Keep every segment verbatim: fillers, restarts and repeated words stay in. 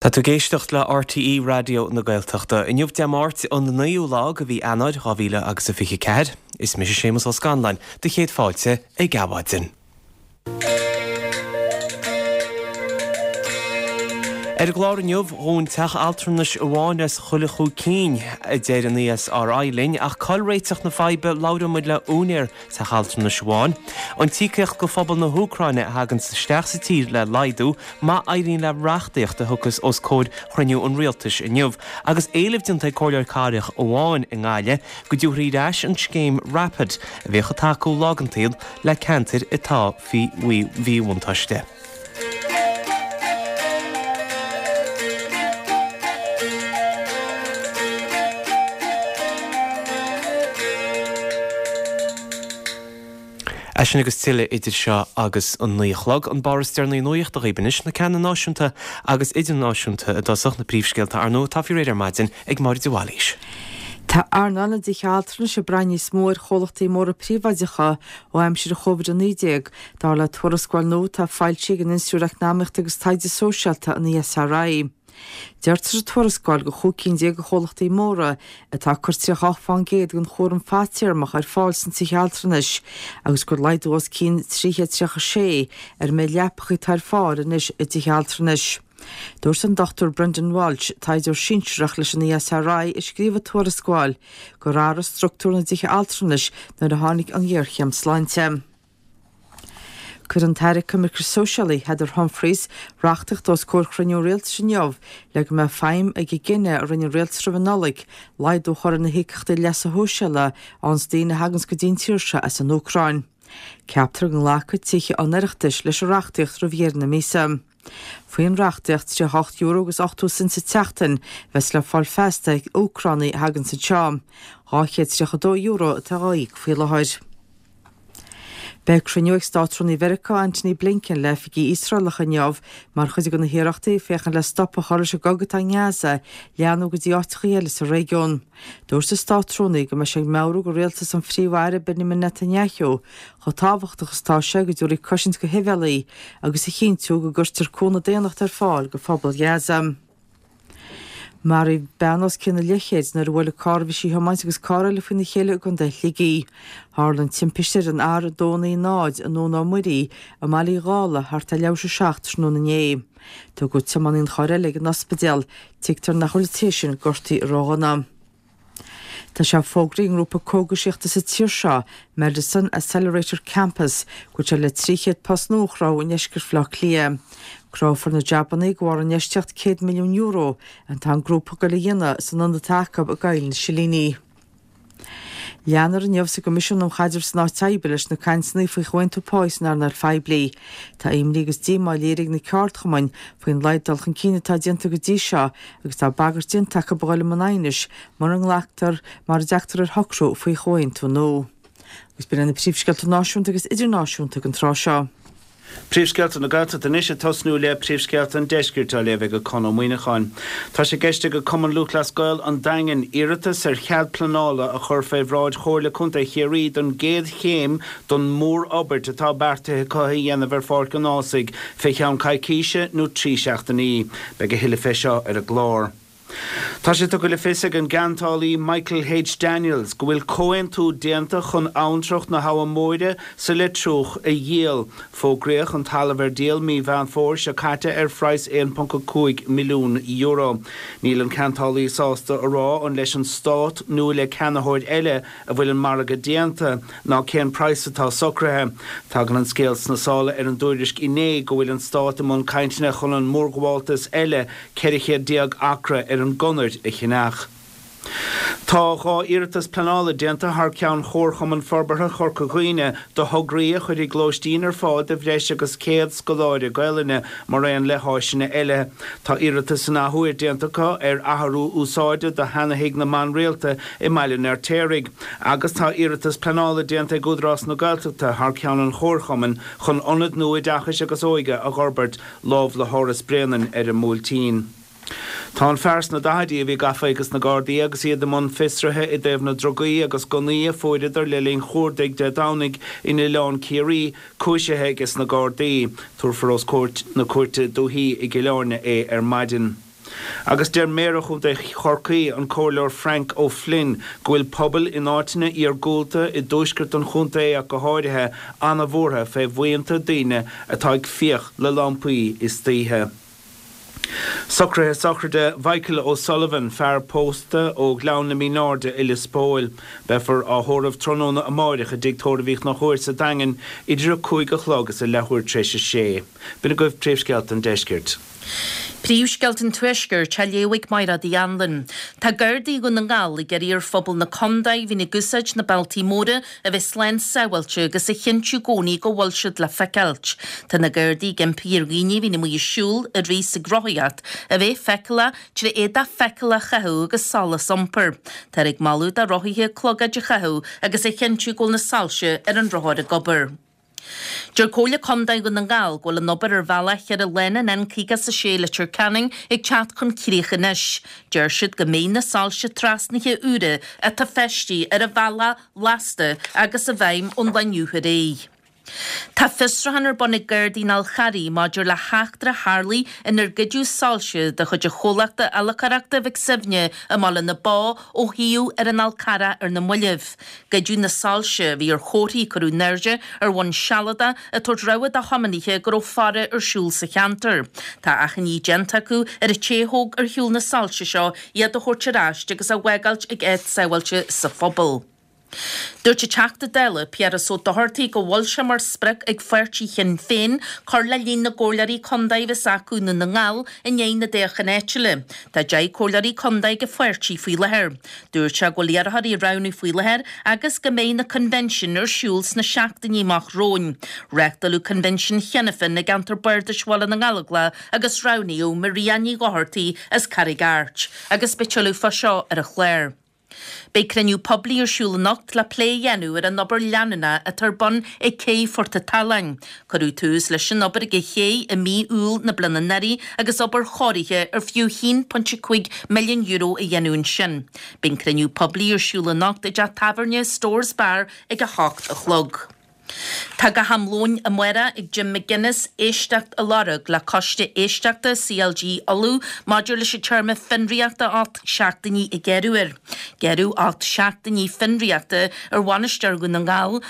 Tá tú ag éisteacht le RTÉ Raidió na Gaeltachta. Inniu Dé Máirt an naoú lá de mhí Eanáir dhá mhíle agus a fiche ceathair. Is mise Séamus Ó Scanláin, do chéad fáilte ag Adhmhaidin. Ar an gclár inniu, dhún teach altranais amháin as chuile chúig cinn, a deir an ESRI linn, ach cá'il réiteach na faidhbe, labhróidh muid le úinéir teach altranais amháin. An t-íocaíocht go phobal na hÚcráine a thagann isteach sa tír le laghdú, má éiríonn le reachtaíocht a thiocfas os comhair chruinniú an rialtais inniu, agus éileamh déanta ag comhairleoir cathrach amháin i nGaillimh go dtabharfaí ar ais an scéim Rapid a bhíodh ag tacú lá den tsaol le ceantair atá faoi mhíbhuntáiste. É sin agus tuilleadh idir seo agus an naoi a chlog. An barr is deireanaí nuachta dhaoibh anois, na ceanna náisiúnta agus idirnáisiúnta i dtosach, na príomhscéalta ar ndóigh atá faoi réir ar maidin ag Máire de Bhailís. Tá earnáil na dtithe altranais ag brath níos mó ar chomhlachtaí móra príobháideacha ó aimsir Covid a naoi déag, dar le tuarascáil nua atá foilsithe ag an Institiúid Eacnamaíochta agus Taighde Sóisialta, an ESRI. Deirtear sa tuarascáil gur chúig cinn déag de chomhlachtaí móra atá ag cur tríocha ocht fán gcéad den chúram fadtéarmach ar fáil sna tithe altranais agus gur laghdú os cionn trí chéad tríocha sé ar an méid leapacha atá ar fáil anois i dtithe altranais. Dúirt an Dochtúir Brendan Walsh, taighdeoir sinsearach leis an ESRI a scríobh an tuarascáil, gur athraigh struchtúr na dtithe altranais nuair a tháinig an ghéarchéim sláinte. Cuirfidh an tAire Coimirce Sóisialaí, Heather Humphreys, reachtaíocht os comhair chruinniú rialtais inniu le go mbeidh feidhm ag an gcinneadh a rinne an rialtas roimh an Nollaig laghdú a chur ar na híocaíochtaí leasa shóisialaigh a fhaigheanns daoine a thaganns go dtí an tír seo as an Úcráin. Ceaptar go nglacfaidh tithe an Oireachtais leis an reachtaíocht roimh dheireadh na míosa. Faoin reachtaíocht, tríocha ocht euro agus ochtó cent sa tseachtain a bheas le fáil feasta ag Úcránaigh a thaganns anseo. Dhá chéad tríocha dó euro atá á íoc faoi láthair. Beidh cruinniú ag Státrúnaí Mheiriceá Antony Blinken le oifigigh Iosraelacha inniu mar chuid de na hiarrachtaí féachaint le stop a chur leis an gcogadh atá i nGaza leathnú go dtí áiteacha eile sa réigiún. Dúirt an Státrúnaí go mbeidh sé ag meabhrú do rialtas an Phríomh-Aire Benjamin Netanyahu chomh tábhachtach is atá sé go dtabharfaí cosaint do shibhialaigh agus a chinntiú go gcuirtear cúnamh daonnachta ar fáil do phobal Ghaza. Maraíodh bean os cionn a leathchéid nuair a bhuail an carr a bhí sí a thiomáint agus carr eile faoina chéile i gContae Shligigh. Tharla an timpiste ar an R a dó naoi náid i nDún Ó Muirí i mBaile Uí Dhálaigh thart ar leathuair tar éis a seacht tráthnóna inné. Tugadh tiománaí an chairr eile ag an ospidéal. Tuigtear nach bhfuil an té sin gortaithe ródhona. Tá sé fógraithe ag an ngrúpa cógaisíochta sa tír seo, Medicine Accelerator Campus, go bhfuil sé le trí chéad post nua a chruthú i ndeisceart Bhaile Átha Cliath. Cruthófar na jabannaí de bharr infheistíocht céad milliún euro atá an grúpa ag goil a dhéanamh san ionad atá acu i gCoill na Silíní. Leanfar inniu sa gCoimisiún um Chaidreamh san Áit Oibre leis na cainteanna faoi chomhaontú páí san earnáil phoiblí. Tá imní agus díomá léirithe ag na ceardchumainn faoin laghad dul chun cinn atá déanta go dtí seo agus tá bagairt déanta acu a dhul i mbun aighnis mura nglactar, mura dtagtar ar shocrú faoi chomhaontú nua. Agus b'in iad na príomhscéalta náisiúnta agus idirnáisiúnta don tráth seo. Príomhscéalta na Gaeltachta anois ag tosnú le Príomhscéalta an Deiscirt á léamh ag Conn Ó Muíneacháin. Tá sé i gceist ag Cumann Lúthchleas Gael an Daingin iarratas ar chead pleanála a chur fé bhráid Chomhairle Contae Chiarraí don gcéad chéim don mhór-fhorbairt atá beartaithe acu a dhéanamh ar Pháirc an Ághasaigh fé cheann coicíse nó trí seachtainí. Beidh a thuilleadh fé seo ar an gclár. Tá sé tugtha le fios ag an gceantálaí Michael H. Daniels go bhfuil comhaontú déanta chun abhantrach na hAbha Móire sa Leitriúch a dhíol. Fógraíodh an talamh ar díol mí Mheán Fómhair seo caite ar phraghas aon ponc a cúig milliún euro. Níl an ceantálaí sásta a rá an leis an Stát nó le ceannaitheoir eile a bhfuil an margadh déanta, ná cén praghas atá socraithe. Tagann an scéal sna sála ar an dtuairisc inné go bhfuil an Stát i mbun cainteanna chun an mórghabháltas eile ceithre chéad déag acra ar an gConair a cheannach. Tá dhá iarratas pleanála déanta thar ceann Chomharchumann Forbartha Chorca Dhuibhne do thograí a chuirfidh lóistín ar fáil do bhreis agus céad scoláire Gaelainne maraon le háiseanna eile. Tá iarratas an athuair déanta acu ar athrú úsáide do sheana-thigh na mban rialta i mBaile an Fheirtéaraigh agus tá iarratas pleanála déanta ag Údarás na Gaeltachta thar ceann an Chomharchumainn chun ionad nua oideachais agus óige a dh'fhorbairt lámh le hÁras Bréanainn ar an mBuailtín. Tá an fear sna daichidí a bhí gafa ages na Gardaí agus iad i mbun fiosraithe i dtaobh na drugaí agus gunnaí a fuaireadar le linn chuardaigh Dé Domhnaigh in Oileán Ciarraí, cúisithe ages na Gardaí. Tabharfar os comhair na Cúirte Dúichí i gCill Airne é ar maidin. Agus deir Méara Chontae Chorcaí, an Comhairleoir Frank O'Flynn, go bhfuil pobail in áiteanna iargúlta i dtuaisceart an chontae ach go háirithe an-bhuartha fé bhuíonta daoine atá ag fiach le lampaí istoíche. Socruithe sochraide Mhichael O'Sullivan, fear pósta ó Ghleann na Mínáirde i Lios Póil. Beifear á thórramh tráthnóna amáireach i dTigh Tórraimh Uí Chonchúir sa Daingean idir a cúig a chlog is a leathuair tar éis a sé. B'in agaibh príomhscéalta an deiscirt. Príomhscéalta an Tuaiscirt á léamh ag Mairéad Uí Anluain. Tá Gardaí Dhún na nGall ag iarraidh ar phobal na contae a bhíonn ag úsáid na bealtaí móra a bheith slán sábháilte agus a chinntiú i gcónaí go bhfuil siad le feiceáilt. Tá na Gardaí ag impí ar dhaoine a bhíonn amuigh ag siúl, ag rith is ag rothaíocht a bheith feiceálach trí éadach feiceálach a chaitheamh agus solas iompair. Táthar ag moladh do rothaithe clogaid a chaitheamh agus a chinntiú go bhfuil na soilse ar an rothar ag obair. Deir Comhairle Contae Dhún na nGall go bhfuil an obair ar bhealach cheithre lána an N caoga is a sé i Leitir Ceanainn ag teacht chun críche anois. Deir siad go mbeidh na soilse trasnaithe úra atá feistithe ar an bhealach lasta agus i bhfeidhm ón lá inniu ar aghaidh. Tá fiosrúchán ar bun ag Gardaí an Fhál Charraigh maidir le heachtra a tharlaigh inar goideadh soilse de chuid an chomhlachta Fhallachoireachta Mhic Suibhne i mBaile na Bó ó shuíomh ar an Fhál Carrach ar na mallaibh. Goideadh na soilse, a bhí ar chomharthaí a cuireadh in airde ar bhonn sealadach, ag tabhairt rabhadh do thiománaithe go raibh faire ar siúl sa cheantar. Tá achainí déanta acu ar an té a thóg ar shiúl na soilse seo iad a thabhairt ar ais agus a bhfágáilt ag áit sábháilte sa phobal. Dúirt an Teachta Dála Piaras Ó Dochartaigh go bhfuil sé mar sprioc ag pháirtí Shinn Féin cur le líon na gcomhairleoirí contae a bheas acu i nDún na nGall i ndiaidh na dtoghchán áitiúla. Tá deich comhairleoirí contae ag an pháirtí faoi láthair. Dúirt sé go bhfuil iarrthóirí á roghnú faoi láthair agus go mbeidh na coinbhinsin ar siúl sna seachtainí amach romhainn. Reáchtáladh coinbhinsean cheana féin i gceantar Bardais Bhaile na nGallóglach agus roghnaíodh Maria Ní Dhochartaigh as Carraig Airt agus beidh tuilleadh fá seo ar an chlár. Beidh cruinniú poiblí ar siúl anocht le plé a dhéanamh ar an obair leanúnach atá ar bun ag cé Phort an tSalann. Cuireadh tús leis an obair ag an ché i mí Iúil na bliana anuraidh agus obair chóirithe ar fiú a haon pointe cúig milliún euro a dhéanamh ansin. Beidh an cruinniú poiblí ar siúl anocht i dteach tábhairne Storrs Bar ag a hocht a chlog. Tá go ham lóin amárach ag Jim McGuinness éisteacht a lorg le Coiste Éisteachta C L G Uladh maidir leis an téarma fionraíochta ocht seachtainí a gearradh air. Gearradh ocht seachtainí fionraíochta ar bhainisteoir Dhún na nGall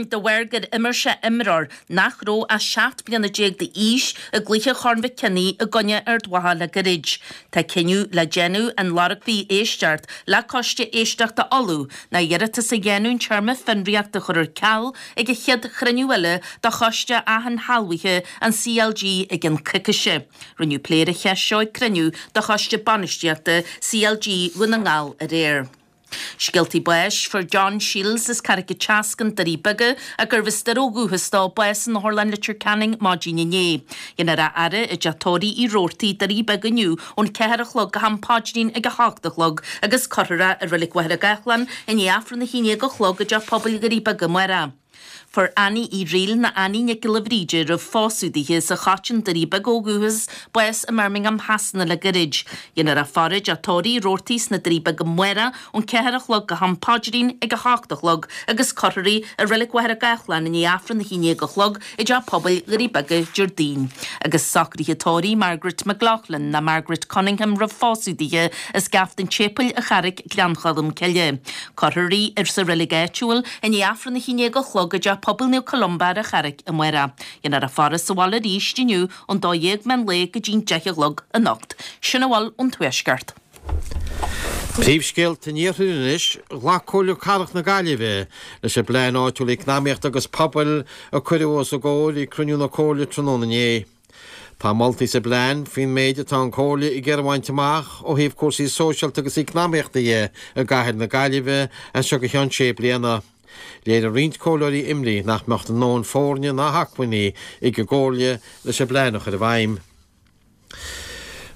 de bharr gur imir sé imreoir nach raibh ach seacht bliana déag d'aois i gcluiche Chorn Mhic Cionnaith i gcoinne Ard Mhacha le gairid. Tá cinneadh le déanamh an lorgfaí éisteacht le Coiste Éisteachta Uladh ná iarratas a dhéanamh an téarma fionraíochta a chur ar ceal ag an chéad chruinniú eile de Choiste Ath-Shealbhaithe an C L G i gcionn coicíse. Rinneadh plé ar an cheist seo ag cruinniú de Choiste Bainistíochta C L G Dhún na nGall aréir. Scéaltaí báis, Fuair John Shields as Carraig an tSeascainn, Doirí Beaga, a gurbh as Doire ó dhúchas dó, bás in Otharlann Leitir Ceanainn maidin inné. Dhéanfar a fhaire i dteach tórraimh Uí Robhartaigh, Doirí Beaga inniu ón ceathair a chlog go ham paidrín ag a hocht a chlog agus cuirfear é i Reilig Mhachaire Gathlán i ndiaidh Aifreann a haon déag a chlog i dteach pobail Dhoirí Beaga amárach. Fuair Annie Uí Fhrighil ná Annie Nic Giolla Bhríde roimh phósadh dithe as an Choiteann, Doirí Beaga ó dhúchas, bás i mBirmingham Shasana le gairid. Dhéanfar a faire i dteach tórraimh Uí Robhartaigh sna Doirí Beaga amárach ón ceathair a chlog go ham paidrín ag a hocht a chlog agus cuirfear í i Reilig Mhachaire Gathlán i ndiaidh Aifreann a haon déag a chlog i dteach pobail Dhoirí Beaga Déardaoin. Agus socruithe tórraimh Margaret McLaughlin ná Margaret Cunningham roimh phósadh dithe as Gaft an tSéipéil a Charraic Gleann Cholm Cille. Cuirfear í ar sa reilig áitiúil i ndiaidh Aifreann a haon déag a chlog i dteach pobail Naomh Columba ar an Charraic amárach. Dhéanfar a faire sa bhaile arís inniu ón dó dhéag meán lae go dtí'n deich a chlog anocht. Sin a bhfuil ón Tuaisceart. Príomhscéalta an Iarthair anois, ghlac Comhairle Cathrach na Gaillimhe leis an bplean áitiúil eacnamaíochta agus pobail a cuireadh os a gcomhair ag cruinniú na Comhairle tráthnóna inné. Tá moltaí sa bplean faoin méid atá an Chomhairle ag iarraidh a bhaint amach ó thaobh cúrsaí sóisialta agus eacnamaíochta dhe i gcathair na Gaillimhe as seo go ceann sé bliana. Léirigh roinnt comhairleoirí imní nach mbeadh a ndóthain foirne ná hacmhainní ag an gComhairle leis an bplean a chur i bhfeidhm.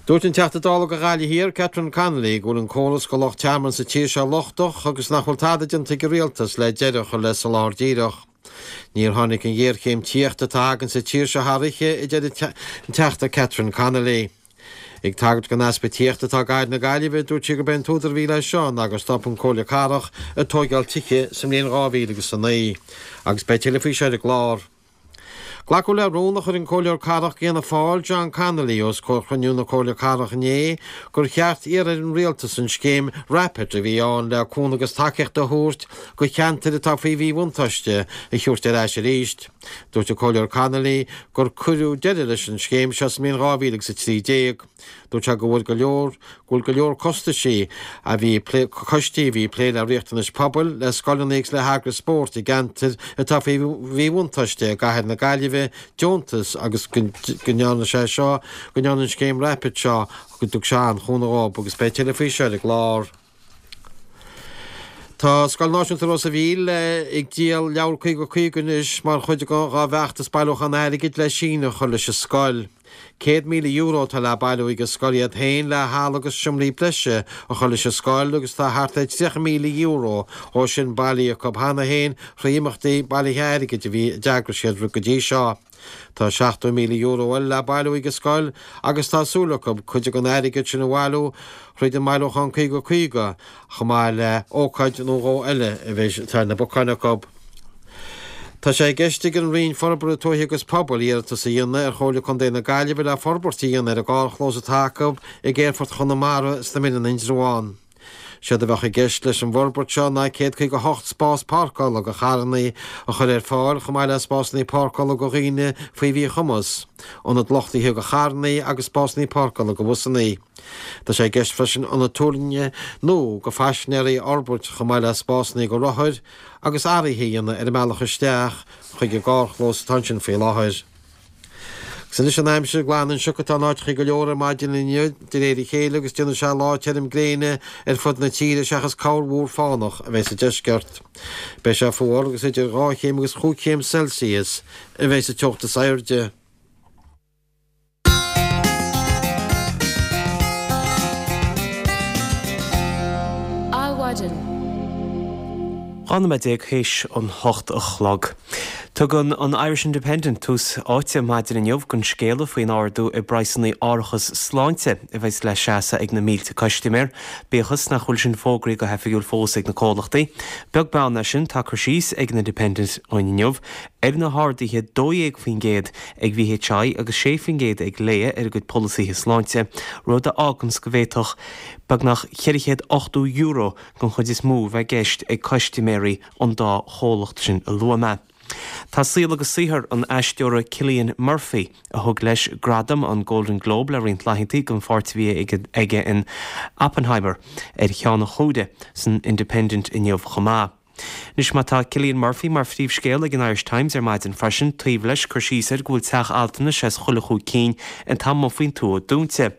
Dúirt an Teachta Dála do Ghaillimh Thiar, Catherine Connolly, go bhfuil an córas do lucht tearmainn sa tír seo lochtach agus nach bhfuil tada déanta ag an rialtas le deireadh a chur le soláthar díreach. Níor tháinig an ghéarchéim tithíochta atá againn sa tír seo thar oíche, a deir an Teachta Catherine Connolly. Ag tagairt don easpa tithíochta atá i gcathair na Gaillimhe, dúirt sí gurb é an t-údar a bhí leis seo ná gur stop an Comhairle Cathrach ag tóigeáil tithe sa mbliain dhá mhíle agus a naoi. Agus beidh tuilleadh faoi seo ar an gclár. Glacadh le rún a chuir an Comhairleoir Cathrach d'Fhianna Fáil, John Connolly, os comhair chruinniú na Comhairle Cathrach inné gur cheart iarraidh ar an Rialtas an scéim Rapid a bhí ann le cúnamh agus tacaíocht a thabhairt do cheantair atá faoi mhíbhuntáiste a thabhairt ar ais arís. Dúirt an Comhairleoir Connolly gur cuireadh deireadh leis an scéim seo sa mbliain dhá mhíle agus a trí déag. Dúirt sé go bhfuil go leor go bhfuil go leor costaisí a bhí coistí a bhí ag plé le riachtanais pobail, le scoileanna agus le heagrais spóirt i gceantair atá faoi mhíbhuntáiste i gcathair na Gaillimhe deontas agus go ndearna sé seo, go ndearna an scéim Rapid seo go dtug sé an-chúnamh dhóibh agus beidh tuilleadh faoi seo ar an gclár. Tá Scoil Náisiúnta Ros a' Mhíl ag díol leabhar caoga caoga anois mar chuid dá bhfeachtas bailiúchán airgid le síneadh a chur leis an scoil. Céad míle euro atá le bailiú ag an scoil iad féin le halla agus seomraí breise a chur leis an scoil agus tá thart ar tríocha míle euro ó sin bailithe acu cheana féin thrí imeachtaí bailithe airgid a bhí a d'eagraigh siad go dtí seo. Tá seachtó míle euro eile le bailiú ag an scoil agus tá súil acu cuid den airgead sin a bhailiú thríd an mbailiúchán caoga caoga chomh maith le ócáid nó dhó eile a bheidh atá ar na bacáin acu. Tá sé i gceist ag an Roinn Forbartha Tuaithe agus Pobail iarratas a dhéanamh ar Chomhairle Contae na Gaillimhe le forbairt a dhéanamh ar an gcarrchlós atá acu ag Aerfort Chonamara sna Muileann Indreabhán. Séard a bheadh i gceist leis an bhforbairt seo ná céad caoga a hocht spás páirceála do charranna a chur ar fáil chomh maith le spásanna páirceála do dhaoine faoi mhíchumas, ionad luchtaithe do charranna agus spásanna páirceála do bhusanna. Tá sé i gceist freisin ionad tuirlinge nua do phaisinéirí a fhorbairt chomh maith le spásanna do rothair agus athruithe a dhéanamh ar an mbealach isteach chuig an gcarrchlós atá ansin faoi láthair. Agus anois an aimsir, glan an sioc atá in áiteachaí go leor ar maidin inniu de réir a chéile agus déanfaidh sé lá tirim gréine ar fud na tíre seachas corrmhúr fánach a bheidh sa deisceart. Beidh sé fuar agus idir dhá chéim agus chúig chéim Celsius a bheidh sa teocht is airde. Adhmhaidin. Dhá nóiméad déag théis an hocht a chlog. Tugann an Irish Independent tús áite maidin inniu don scéala faoin ardú i bpraghsanna árachas sláinte a bheas le seasamh ag na mílte custaiméir, bíodh is nach bhfuil sin fógraithe go hoifigiúil fós ag na comhlachtaí. Beag beann air sin, tá cur síos ag an Independent dhúinn inniu ar na harduithe dó dhéag faoin gcéad ag VHI agus sé faoin gcéad ag Laya ar a gcuid polasaithe sláinte, rud a fháganns go bhféadfadh beagnach ceithre chéad ochtó euro den chuid is mó bheith i gceist ag custaiméirí an dá chomhlacht sin a luaigh mé. Tá saol agus saothar an aisteora Cillian Murphy, a thug leis gradam an Golden Globe le roinnt laethanta don pháirt a bhí aige in Oppenheimer, ar cheann an chuaire san Independent inniu chomh maith. Anois má tá Cillian Murphy mar phríomhscéal ag an Irish Times ar maidin freisin, taobh leis cur síos air go bhfuil teach altranais as chuile chúig cinn atá amuigh faoin tuath dúnta.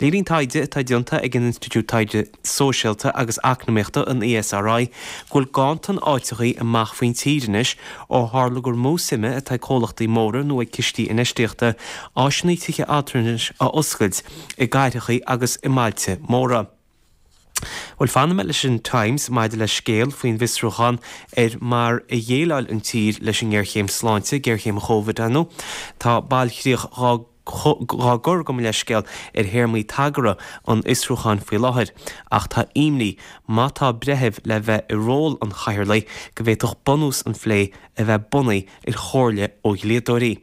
Léiríonn taighde atá déanta ag an Institiúid Taighde Sóisialta agus Eacnamaíochta, an ESRI, go bhfuil ganntan áiteachaí amach faoin tír anois ó tharla gur mó suime atá ag comhlachtaí móra nó ag cistí infheistíochta áiseanna tithe altranais a oscailt i gcathrachaí agus i mbailte móra. Bhuel, fanfaidh mé leis an Times maidir le scéal faoin bhfiosrúchán ar mar a dhéileáil an tír leis an ngéarchéim sláinte, géarchéim Chóvid, ar ndóigh. Tá bailchríoch dhá gcur, gabh mo leithscéal, ar théarmaí tagartha an fhiosrúcháin faoi láthair, ach tá imní, má tá breitheamh le bheith i ról an chathaoirligh, go bhféadfadh bunús an phlé a bheith bunaithe ar chomhairle ó dhlíodóirí.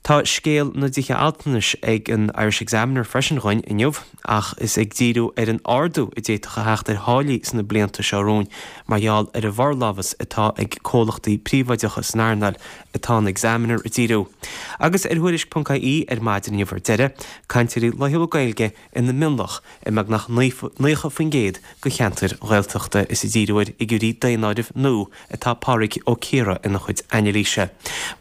Tá scéal na dtithe altranais ag an Irish Examiner freisin dhúinn inniu, ach is ag díriú ar an ardú a d'fhéadfadh a theacht ar tháillí sna blianta seo romhainn mar gheall ar an bhforlámhas atá ag comhlachtaí príobháideacha san earnáil atá an Examiner ag díriú. Agus ar Thuairisc ponc ie ar maidin inniu ar deireadh, cainteoirí laethúla Gaeilge ina mionlach i mbeagnach naocha faoin gcéad de cheantair Ghaeltachta. Is ag díriú ar fhigiúirí daonáirimh nua atá Pádraig Ó Ciardha ina chuid anailíse.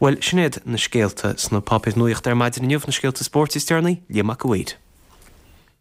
Bhuel, sin iad na scéalta sna páipéir nuachta ar maidin inniu, na scéalta spóirt is deireanaí, Liam Mac a' Mhaoir.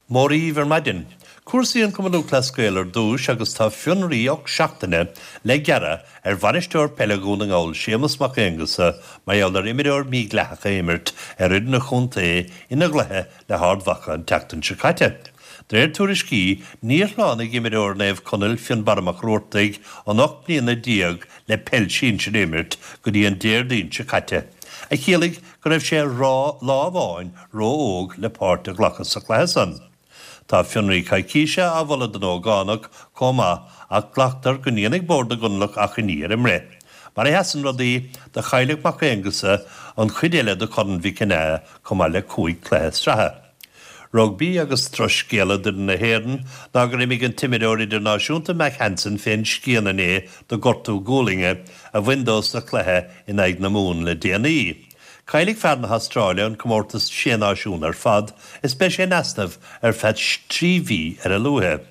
Móra dhaoibh ar maidin. Cúrsaí an Chumann Lúthchleas Gael ar dtúis agus tá fionraí ocht seachtaine le gearradh ar bhainisteoir peile Dhún na nGall Séamus Mac Aonghusa mar gheall ar imreoir mídhleathach a imirt ar fhoireann a chontae ina gcluiche le hArd Mhacha an tseachtain seo caite. De réir tuairiscí, níor shlánaigh imreoir Naomh Conaill Fionnbarra Mac Ruartaigh an ocht mbliana déag le peil sinsir a imirt go dtí an Déardaoin seo caite, a chiallaigh go raibh sé lá amháin ró-óg le páirt a ghlacadh sa chluiche san. Tá fionraí coicíse á mholadh don ógánach chomh maith ach glactar go ndéanfaidh Bord na gConallach achainí ar an mbreith. Mar a sheasann rudaí, do chaillfeadh Mac Aonghusa an chuid eile de Chorn Mhic Cionnaith chomh maith le cúig chluiche sraithe. Rugbaí agus drochscéala d'fhoireann na hÉireann ná gur imigh an t-imreoir idirnáisiúnta Mack Hansen fén scian inné de ghortú gualainne a bhain dó sa chluiche in aghaidh na Mumhan le déanaí. Caillfidh fear na hAstráile an comórtas Sé Náisiún ar fad is beidh sé in easnamh ar feadh trí mhí ar a luaithe.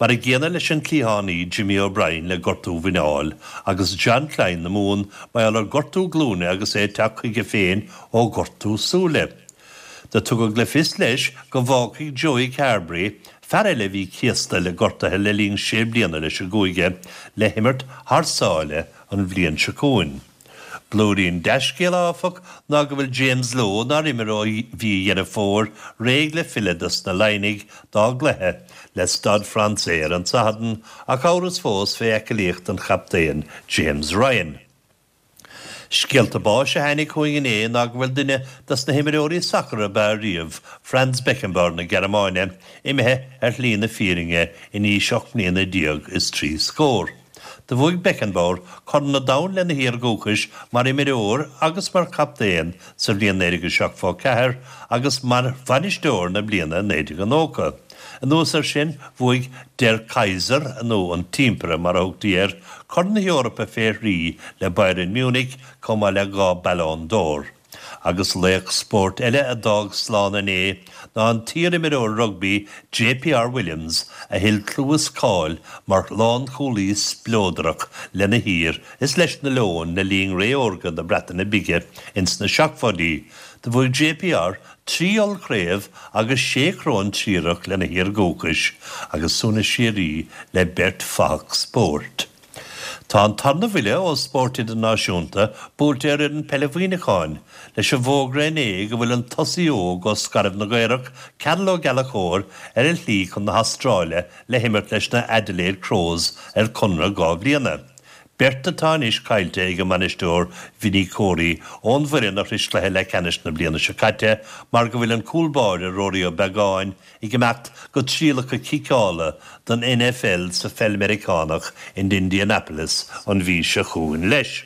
Mar a gcéanna leis an cliathánaí Jimmy O'Brien le gortú mhuineáil agus Jean Kleyn na Mumhan mar gheall ar ghortú glúine agus é ag teacht chuige féin ó ghortú súile. Do tugadh le fios leis go bhfágfaidh Joey Carbery, fear eile a bhí céasta le gortuithe le linn sé bliana leis an gcúige, le himirt thar sáile an bhliain seo chugainn. Blúirín dea-scéala, áfach, ná go bhfuil James Lowe, nár imir ó mhí Dheireadh Fómhair, réidh le filleadh dos na Laighnigh dá gcluiche le Stade Français ar an Satharn, ach amhras fós fé aclaíocht an chaptaein James Ryan. Scéalta báis a tháinig chugainn inné ná go bhfuil duine dos na himreoirí sacair ab fhearr riamh, Franz Beckenbauer na Gearmáine, imithe ar shlí na fírinne in aois ocht mbliana déag is trí scór. Do bhuaigh Beckenbauer Corn an Domhain lena thír dhúchais mar imreoir agus mar chaptaen sa bhliain naoi déag seachtó ceathair agus mar bhainisteoir na bliana naoi déag nócha. Anuas air sin, bhuaigh Der Kaiser, nó an tImpire mar a thugtaí air, Corn na hEorpa fé thrí le Bayern Munich chomh maith le dhá Ballon d'Or. Agus laoch spóirt eile a d'fhág slán inné ná an t-iarimreoir rugbaí JPR Williams a thuill clú is cáil mar lánchúlaí spleodrach lena thír is leis na Leoin le linn ré órga na Breataine Bige ins na seachtóidí. Do bhuaigh JPR trí ollchraobh agus sé choróin triarach lena thír dhúchais agus suaimhneas síoraí le beirt fathach spóirt. Tá an tarna bhuille ó spórt idirnáisiúnta buailte ar fhoireann peile Mhuineacháin leis an bhfógra inné go bhfuil an tosaí óg ó Scairbh na gCaorach, Cearbhall Ó Gallchóir, ar a shlí chun na hAstráile le himirt leis na Adelaide Crows ar conradh dhá bhliana. Beirt atá anois caillte ag an mbainisteoir Vinny Corey ón bhfoireann a shrois cluiche leathcheannais na bliana seo caite mar go bhfuil an cúl báire Ruairí Ó Beagáin ag imeacht go trialacha ciceála don NFL sa pheil Meiriceánach in Indianapolis an mhí seo chugainn leis.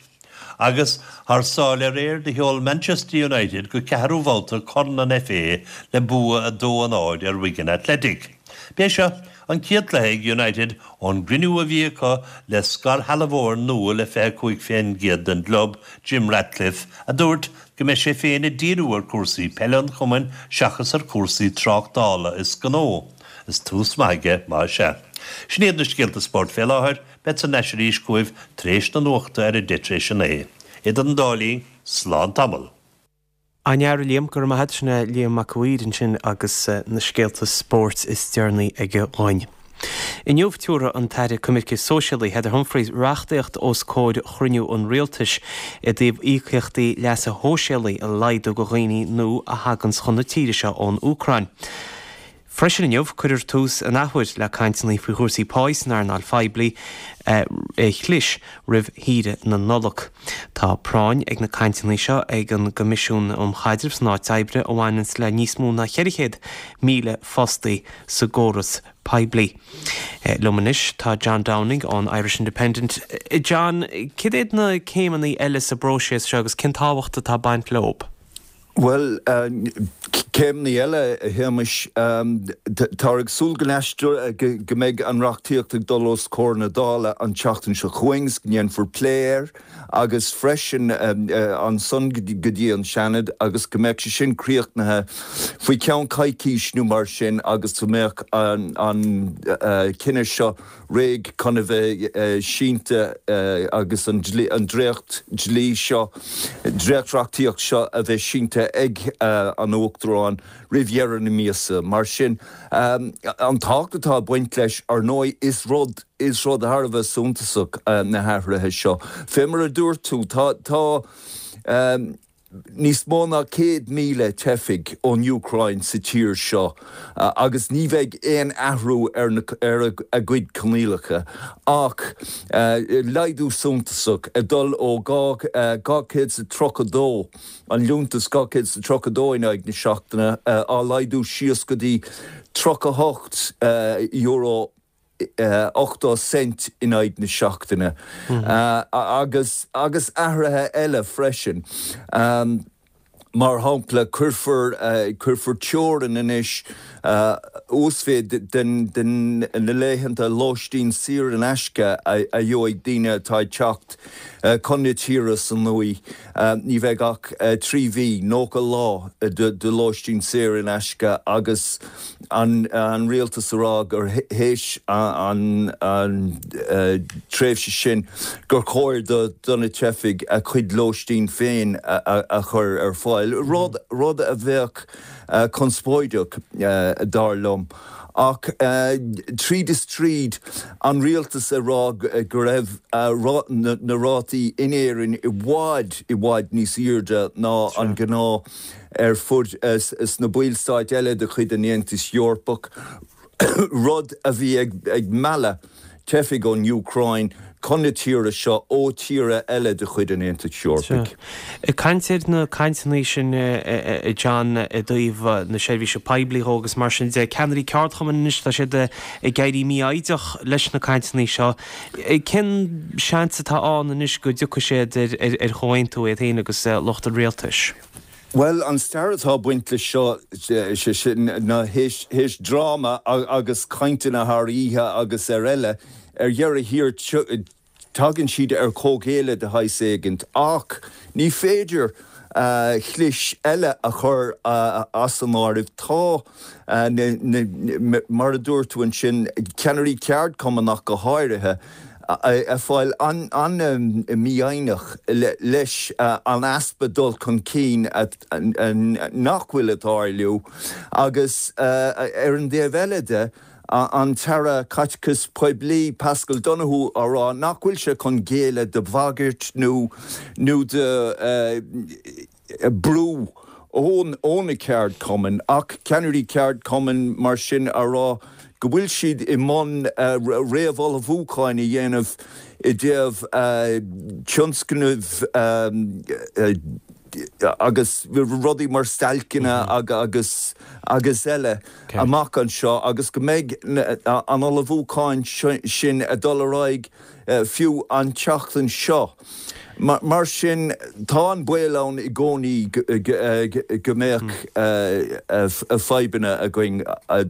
Agus thar sáile aréir do sheol Manchester United go ceathrú bhabhta Corn an FA le bua a dó a náid ar Wigan Athletic. B'é seo an chéad chluiche ag United ón gcruinniú a bhí acu le scairshealbhóir nua le fiche a cúig faoin gcéad den gclub, Jim Ratcliffe, a dúirt go mbeidh sé féin ag díriú ar chúrsaí peile an chumainn seachas ar chúrsaí tráchtála is gnó. Is tús maith aige, más ea. Sin iad na scéalta spóirt fé láthair, bead thar n-ais arís chugaibh tar éis na nuachta ar a deich tar éis a naoi. Idir an dá linn, slán tamall. An-fhear, a Liam, go raibh maith agat. Sin é Liam Mac a' Mhaoir ansin agus na scéalta spóirt is deireanaí aige dhúinn. Inniu tabharfaidh an tAire Coimirce Sóisialaí Heather Humphreys reachtaíocht os comhair chruinniú an Rialtais i dtaobh íocaíochtaí leasa shóisialaigh a laghdú do dhaoine nua a thaganns chun na tíre seo ón Úcráin. Freisin inniu, cuirfear tús an athuair le cainteanna faoi chúrsaí páí san earnáil phoiblí a chlis roimh shaoire na Nollag. Tá práinn ag na cainteanna seo ag an gCoimisiún um Chaidreamh san Áit Oibre a bhaineanns le níos mó ná ceithre chéad míle fostaí sa gcóras poiblí. Liom anois tá John Downing ón Irish Independent. John, cad iad na céimeanna eile sa bpróiseas seo agus cén tábhacht atá ag baint leo? Bhuel, céimeanna eile, a Shéamais, táthar ag súil go n-aistreofar, go mbeidh an reachtaíocht ag dul os comhair na Dála an tseachtain seo chugainn is go ndéanfar plé air agus freisin ansan go dtí an Seanad agus go mbeadh sé sin críochnaithe faoi cheann coicís nó mar sin agus go mbeadh an cinneadh seo réidh chun a bheith sínte agus an dréacht dlí seo, dréacht-reachtaíocht seo a bheith sínte ag an Uachtarán roimh dheireadh na míosa. Mar sin, an tábhacht atá ag baint leis, ar ndóigh, is rud, is rud thar a bheith suntasach na hathruithe seo. Fé mar a dúirt tú, tá, tá níos mó ná céad míle teifigh ón Úcráin sa tír seo agus ní bheidh aon athrú ar ar a gcuid coinníollacha ach laghdú suntasach ag dul ó dhá chéad is tríocha dó, an liúntas dhá chéad is tríocha dó in aghaidh na seachtaine, á laghdú síos go dtí tríocha hocht euro. ochtó cent in aghaidh na seachtaine agus agus athruithe eile freisin. Mar shampla, cuirfear cuirfear teorainn anois uasmhéid den den na laethanta lóistín saor in aisce a gheobhaidh daoine atá ag teacht chun na tíre seo nua. Ní bheidh ach trí mhí, nócha lá, de lóistín saor in aisce agus an an rialtas a rá gur théis an an tréimhse sin gur chóir do do na teifigh a chuid lóistín féin a chur ar fáil, rud rud a bheadh conspóideach dar liom. Ach tríd is tríd, an rialtas a rá go raibh na rátaí in Éirinn i bhfad i bhfad níos airde ná an gnáth ar fud sna ballstáit eile de chuid an Aontais Eorpach, rud a bhí ag mealladh teifigh ón Úcráin chun na tíre seo ó tíortha eile de chuid an Aontais Eorpaigh. Ag caint ar na cainteanna sin, a John, i dtaobh na seirbhíse poiblí dhó agus mar sin de, ceannairí ceardchumainn anois, tá siad ag éirí mífhoighdeach leis na cainteanna seo. Cén seans atá ann anois go dtiocfaidh siad ar chomhaontú iad féin agus lucht an rialtais? Bhuel, an stair atá ag baint leis seo, sé sin ná théis dráma agus cainteanna thar oíche agus ar eile, ar dheireadh thiar tagann siad ar chomhghéilleadh de shaghas éigint. Ach ní féidir chlis eile a chur as an áireamh. Tá, mar a dúirt tú ansin, ceannairí ceardchumann ach go háirithe, ag fáil an-mhífhoighneach leis an easpa dul chun cinn nach bhfuil ag tarlú agus ar an dtaobh eile de, an tAire Caiteachais Poiblí Paschal Donohoe á rá nach bhfuil sé chun géilleadh do bhagairt nó nó do brú ó na ceardchumainn, ach ceannairí ceardchumainn mar sin á rá go bhfuil siad i mbun réamhullmhúcháin a dhéanamh i dtaobh tionscnaimh agus rudaí mar stailceanna agus agus eile amach anseo agus go mbeidh an ullmhúchán sin ag dul ar aghaidh fiú an tseachtain seo. Mar sin, tá an baol ann i gcónaí go mbeadh fadhbanna againn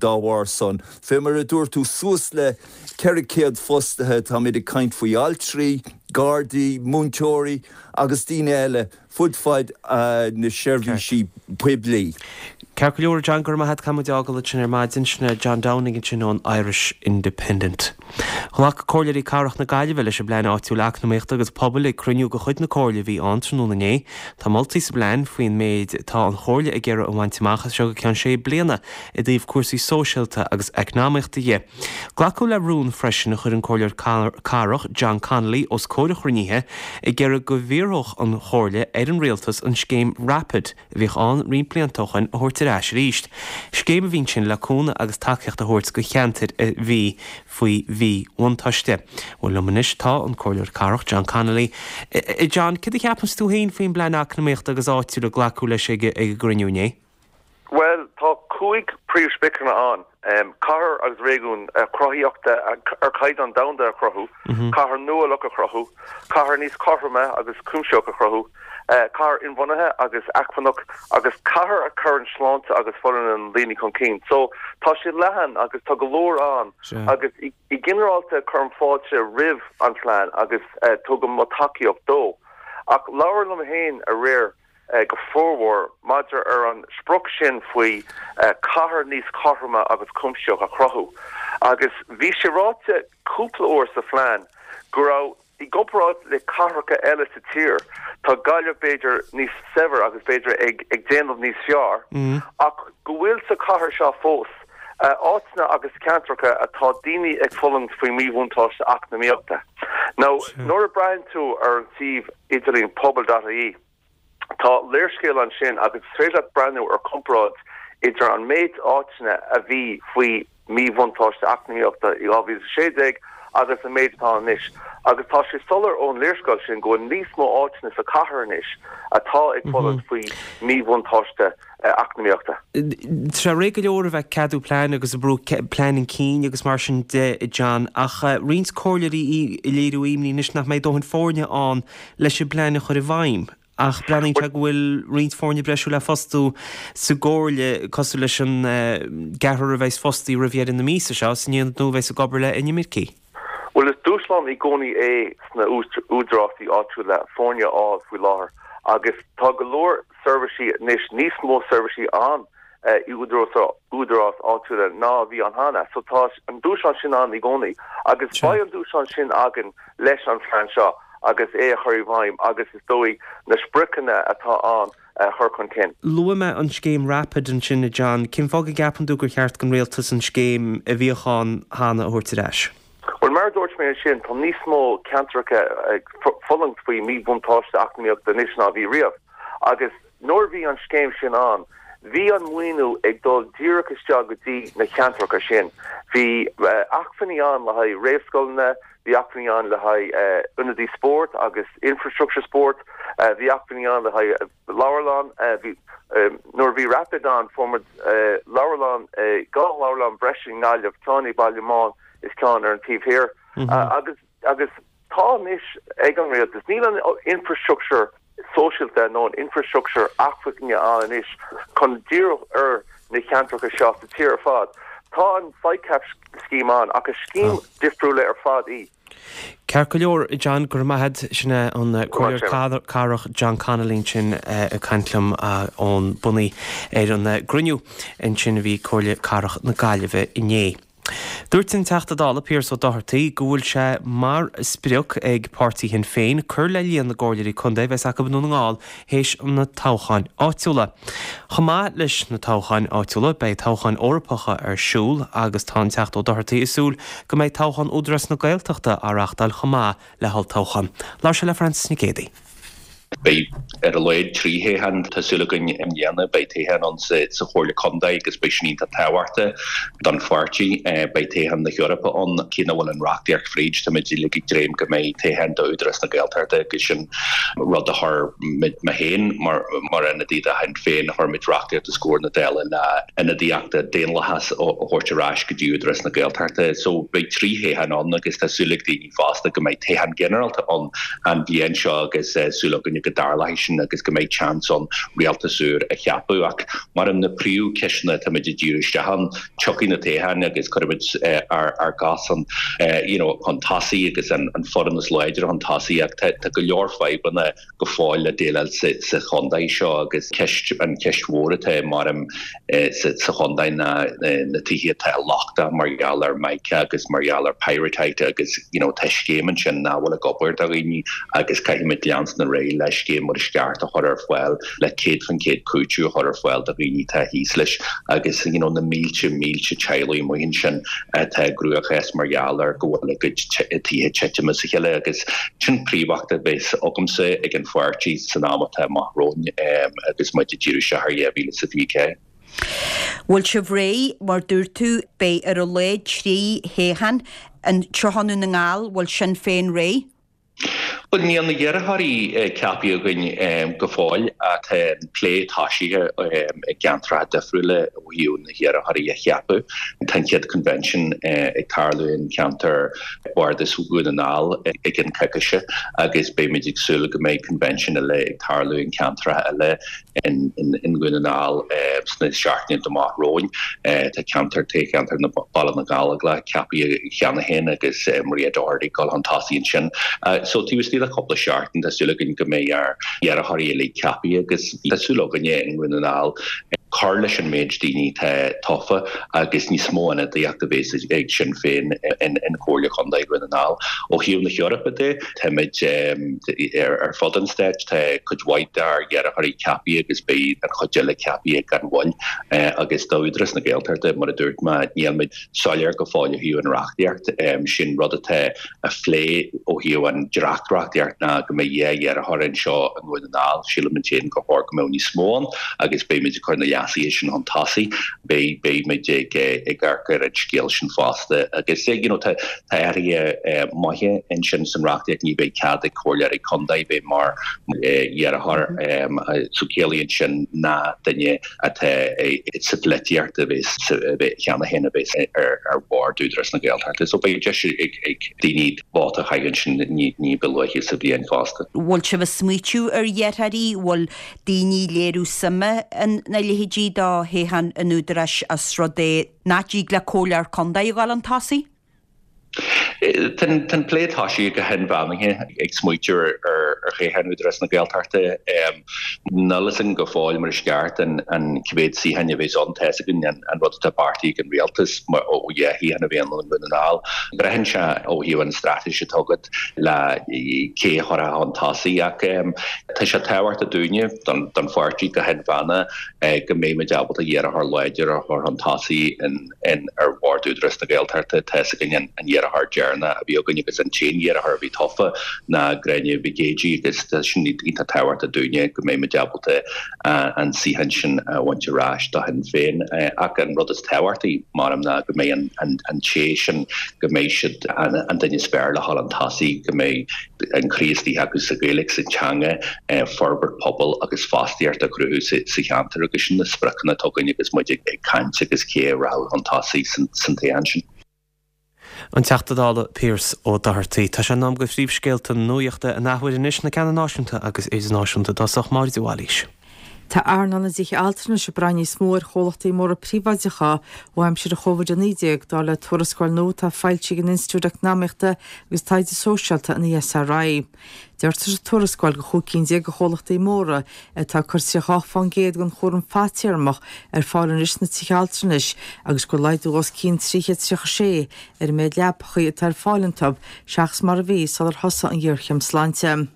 dá bharr san. Fé mar a dúirt tú, suas le ceithre chéad fostaithe, táimid ag caint faoi altraí, gardaí, múinteoirí agus daoine eile fud fad na seirbhísí poiblí. Ceart go leor, John, go raibh maith agat, caithfidh muid fhágáil ansin ar maidin. Sin é John Downing ansin ón Irish Independent. Ghlac Comhairleoirí Cathrach na Gaillimhe leis an bPlean Áitiúil Eacnamaíochta agus Pobail ag cruinniú de chuid na Comhairle a bhí ann tráthnóna inné. Tá moltaí sa bplean faoin méid atá an Chomhairle ag iarraidh a bhaint amach as seo go ceann sé bliana i dtaobh cúrsaí sóisialta agus eacnamaíochta dhe. Glacadh le rún freisin a chuir an Comhairleoir Cathrach John Connolly os comhair an chruinnithe ag iarraidh go bhfiafródh an Chomhairle ar an Rialtas an scéim Rapid a bhíodh ann roinnt blianta ó shoin a thabhairt ar ais arís. Scéim a bhí ansin le cúnamh agus tacaíocht a thabhairt do cheantair a bhí faoi mhíbhuntáiste. Bhuel liom anois tá an Comhairleoir Cathrach John Connolly. A John, céard a cheapanns tú féin faoin bplean eacnamaíochta agus áitiúil a glacadh leis ag an gcruinniú inné? Bhuel, tá cúig príomhspriocanna ann, cathair agus réigiún cruthaitheachta ar chaighdeán domhanda a chruthú, cathair nuálach a chruthú, cathair níos cothroime agus cuimsitheach a chruthú, cathair inbhuanaithe agus acmhainneach agus cathair a chuireann sláinte agus folláine na ndaoine chun cinn. So, tá sé leathan agus tá go leor ann agus i ginearálta cuirim fáilte roimh an phlean agus tugaim mo tacaíocht dó. Ach labhair liom féin aréir go formhór maidir ar an sprioc sin faoi cathair níos cothroime agus cuimsitheach a chruthú. Agus bhí sé ráite cúpla uair sa phlean go raibh, i gcomparáid le cathracha eile sa tír, tá Gaillimh b'fhéidir níos saibhir agus b'fhéidir ag ag déanamh níos fearr, ach go bhfuil sa chathair seo fós áiteanna agus ceantracha atá daoine ag fulaingt faoi mhíbhuntáiste eacnamaíochta. Now, nuair a braitheann tú ar an suíomh idirlín pobal dot ie, Tá léarscáil ansin agus is féidir leat breathnú ar comparáid idir an méid áiteanna a bhí faoi mhíbhuntáiste eacnamaíochta i dhá mhíle is a sé déag agus an méid atá ann anois. Agus tá sé soiléir ón léarscáil sin go bhfuil níos mó áiteanna sa chathair anois atá ag fulaingt faoi mhíbhuntáiste eacnamaíochta. Tá sé réidh go leor a bheith ag ceadú plean agus ag brú plean chun cinn agus mar sin de, John, ach roinnt comhairleoirí ag léiriú imní anois nach mbeidh dóthain foirne ann leis an bplean a chur i bhfeidhm. Ach breathnaíonn sé go bhfuil roinnt foirne breise le fostú sa gcomhairle, cosúil leis an gceathrar a bheas fostaithe roimh dheireadh na míosa seo san aonad nua a bheas ag obair le inimircigh. Bhuel, is dúshlán i gcónaí é sna údarásaí áitiúla foirne a fháil faoi láthair agus tá go leor seirbhísí anois, níos mó seirbhísí ann i údarás áitiúla ná a bhí ann cheana. So tá an dúshlán sin ann i gcónaí agus beidh an dúshlán sin againn leis an phlean seo agus é a chur i bhfeidhm agus is dóigh na spriocanna atá ann a chur chun cinn. Luaigh mé an scéim Rapid ansin, a John. Cén fáth go gceapann tú gur cheart don rialtas an scéim a bhíodh ann cheana a thabhairt ar ais? Bhuel, mar a dúirt mé ansin, tá níos mó ceantracha ag fulaingt faoi mhíbhuntáiste eacnamaíochta anois ná a bhí riamh. Agus nuair a bhí an scéim sin ann, bhí an maoiniú ag dul díreach isteach go dtí na ceantracha sin. Bhí acmhainní ann le haghaidh réamhscoileanna, bhí acmhainní ann le haghaidh ionadaí spóirt agus infrastructure spóirt, bhí acmhainní ann le haghaidh leabharlann. Bhí, nuair a bhí Rapid ann, fuair muid leabharlann, dhá leabharlann breise i nGaillimh, ceann i Baile Meáin is ceann ar an taobh thiar. Agus agus tá anois ag an rialtas, níl an infrastructure sóisialta nó an infrastructure acmhainne ann anois chun díriú ar na ceantracha seo sa tír ar fad. Tá an SICAP scheme ann ach is scéim difriúla ar fad í. Ceart go leor, John, go raibh maith agat. Sin é an Comhairleoir Cathrach John Connolly ansin ag caint liom ón Bunaí ar an gcruinniú ansin a bhí ag Comhairle Cathrach na Gaillimhe inné. Dúirt an Teachta Dála Pearse Ó Dochartaigh go bhfuil sé mar sprioc ag páirtí Shinn Féin cur le líon na gcomhairleoirí contae a bheas acu i nDún na nGall théis na toghcháin áitiúla. Chomh maith leis na toghcháin áitiúla beidh toghcháin Eorpacha ar siúl agus tá an Teachta Ó Dochartaigh ag súil go mbeidh toghchán Údarás na Gaeltachta á reáchtáil chomh maith le holltoghchán. Labhair sé le Frances Nic Géadaigh. Beidh ar a laghad trí thoghchán, tá súil againn, i mbliana. Beidh toghchán ann sa Chomhairle Contae agus beidh sin iontach tábhachtach don pháirtí. Beidh toghchán na hEorpa ann. Cé nach bhfuil an reachtaíocht fríd, táimid uilig ag dréim go mbeidh toghchán d'Údarás na Gaeltachta agus sin rud a chuir muid, mé féin mar ionadaí do Shinn Féin, chuir muid reachtaíocht os comhair na Dála le ionadaíocht daonlathas a thabhairt ar ais go dtí Údarás na Gaeltachta. So beidh trí thoghchán ann agus tá súil ag daoine fosta go mbeidh toghchán ginearálta ann an bhliain seo agus súil againne go dtarlóidh sin agus go mbeidh seans ann rialtas úr a cheapadh. Ach mar na príomhcheisteanna táimid ag díriú isteach ann, tiocfaidh na toghcháin agus cuirfimid ár gcás chun you know chun tosaigh agus an foireann is láidre chun tosaigh ach tá go leor fadhbanna go fóill le déileáil sa chontae seo agus ceist an cheist mhór atá maram sa chontae ná na tithe atá lochtach mar gheall ar mica agus mar gheall ar pyrrhotite agus you know tá scéim ansin nach bhfuil ag obair do dhaoine agus caithfimid leanstan ar aghaidh le scéim mar is ceart a chur ar fáil le céad faoin chéad cúiteamh a chur ar fáil do dhaoine atá thíos leis agus you know na mílte mílte teaghlaigh amuigh ansin atá i gcruachás mar gheall ar go bhfuil a gcuid tithe tite as a chéile agus sin príomhfheachtas a bheas agamsa ag an pháirtí san am atá amach romhainn agus muid ag díriú isteach ar dhá mhíle is a fiche ceathair. Bhfuil sibh réidh? Mar dúirt tú, beidh ar a laghad trí thoghchán anseo i nDún na nGall, bhfuil Sinn Féin réidh? Bhuel, níl na hiarrthóirí ceaptha againn go fóill ach tá an plé tosaithe i gceantracha difriúla ó thaobh na hiarrthóirí a cheapadh. Tá an chéad convention ag tarlú in ceantar Bhardas Dhún na nGall i gceann coicíse agus beimid ag súil go mbeidh convention eile ag tarlú in ceantracha eile in Dhún na nGall sna seachtainí amach romhainn. Tá ceantar toghcheantar na Baile na Gallóglach ceaptha cheana féin agus Maria Doherty ag dul chun tosaigh ansin. So taobh istigh de chúpla seachtain tá súil againn go mbeidh ár n-iarrthóirí uilig ceaptha agus tá súil againne i nDún na nGall cur leis an méid daoine atá tofa agus níos mó ionadaíocht a bheas ag Sinn Féin in Comhairle Chontae Dhún na nGall. Ó thaobh na hEorpa de, táimid ar fud an stáit, tá cuid mhaith dár n-iarrthóirí ceaptha agus beidh an chuid eile ceaptha gan mhoill. Agus d'Údarás na Gaeltachta, mar a dúirt mé, nílmid soiléir go fóill ó thaobh an reachtaíocht. Sin rud atá á phlé ó thaobh an dréacht-reachtaíocht ná go mbeidh dhá iarrthóir anseo i nDún na nGall. Sílimid féin gur chóir go mbeadh níos mó ann agus beimid ag cur na leasuithe leasuithe sin chun tosaigh. Beidh beidh muid ag ag amharc ar an scéal sin fosta agus you know tá tá athruithe maithe ansin san reachtaíocht ní bheidh cead ag comhairleoirí contae bheith mar iarrthóir so ciallaíonn sin ná duine atá sa pholaitíocht a bheith bheith cheana féin a bheith ar ar bhord Údarás na Gaeltachta. So beidh deis ag ag daoine vóta a chaitheamh ansin ní ní ba luaithe sa bhliain fosta. Bhfuil sibh ag smaoitiú ar iarrthóirí, bhfuil daoine ag léiriú suime ina leithéidí do thoghchán an Údaráis as rud é nach dtig le comhairleoir contae a ghabháil chun tosaigh? Tá an plé tosaithe go hinmheánach ag smaoitiú ar thoghchán Údarás na Gaeltachta. Níl a fhios againn go fóill mar is ceart an cé mhéad suíochán a bheas ann. Tá a fhios againn an rud atá beartaithe ag an rialtas ó dhá shuíochán a bheith ann i nDún na nGall. Braitheann sé ó thaobh an straitéis atá agat le cé a chuirfeá chun tosaigh ach tá sé tábhachtach dúinne don pháirtí go hinmheánach go mbeidh muid ábalta iarrthóir láidir a chur chun tosaigh ar bhord Údarás na Gaeltachta. Tá a fhios againn an iarrthóir deireanach a bhí againn agus an t-aon iarrthóir a bhí tofa ná Gráinne Mhic Géidigh agus tá sin iontach tábhachtach dúinne go mbeidh muid ábalta an suíochán sin a bhaint ar ais do Shinn Féin. Ach an rud is tábhachtaí, measaim, ná go mbeidh an té sin, go mbeidh siad an duine is fearr le dhul chun tosaigh, go mbeidh an croí istigh acu sa Ghaeilge, sa teanga, forbairt pobail agus fostaíocht a chruthú sa cheantar agus sin na spriocanna atá againn agus muid ag caint agus cé a rachadh chun tosaigh san toghchán sin. An Teachta Dála Pearse Ó Dochartaigh. Tá sé in am do phríomhscéalta na nuachta an athuair anois, na ceanna náisiúnta agus idirnáisiúnta i dtosach, Máire de Bhailís. Tá earnáil na dtithe altranais ag brath níos mó ar chomhlachtaí móra príobháideacha ó aimsir an Chóivid a naoi déag, dar le tuarascáil nua atá foilsithe ag an Institiúid Eacnamaíochta agus Taighde Sóisialta, an ESRI. Deirtear sa tuarascáil gur chúig cinn déag de chomhlachtaí móra atá ag cur tríocha ocht fán gcéad den chúram fadtéarmach ar fáil anois sna tithe altranais agus gur laghdú os cionn trí chéad tríocha sé ar an méid leapacha atá ar fáil iontu seachas mar a bhí sular thosaigh an ghéarchéim sláinte.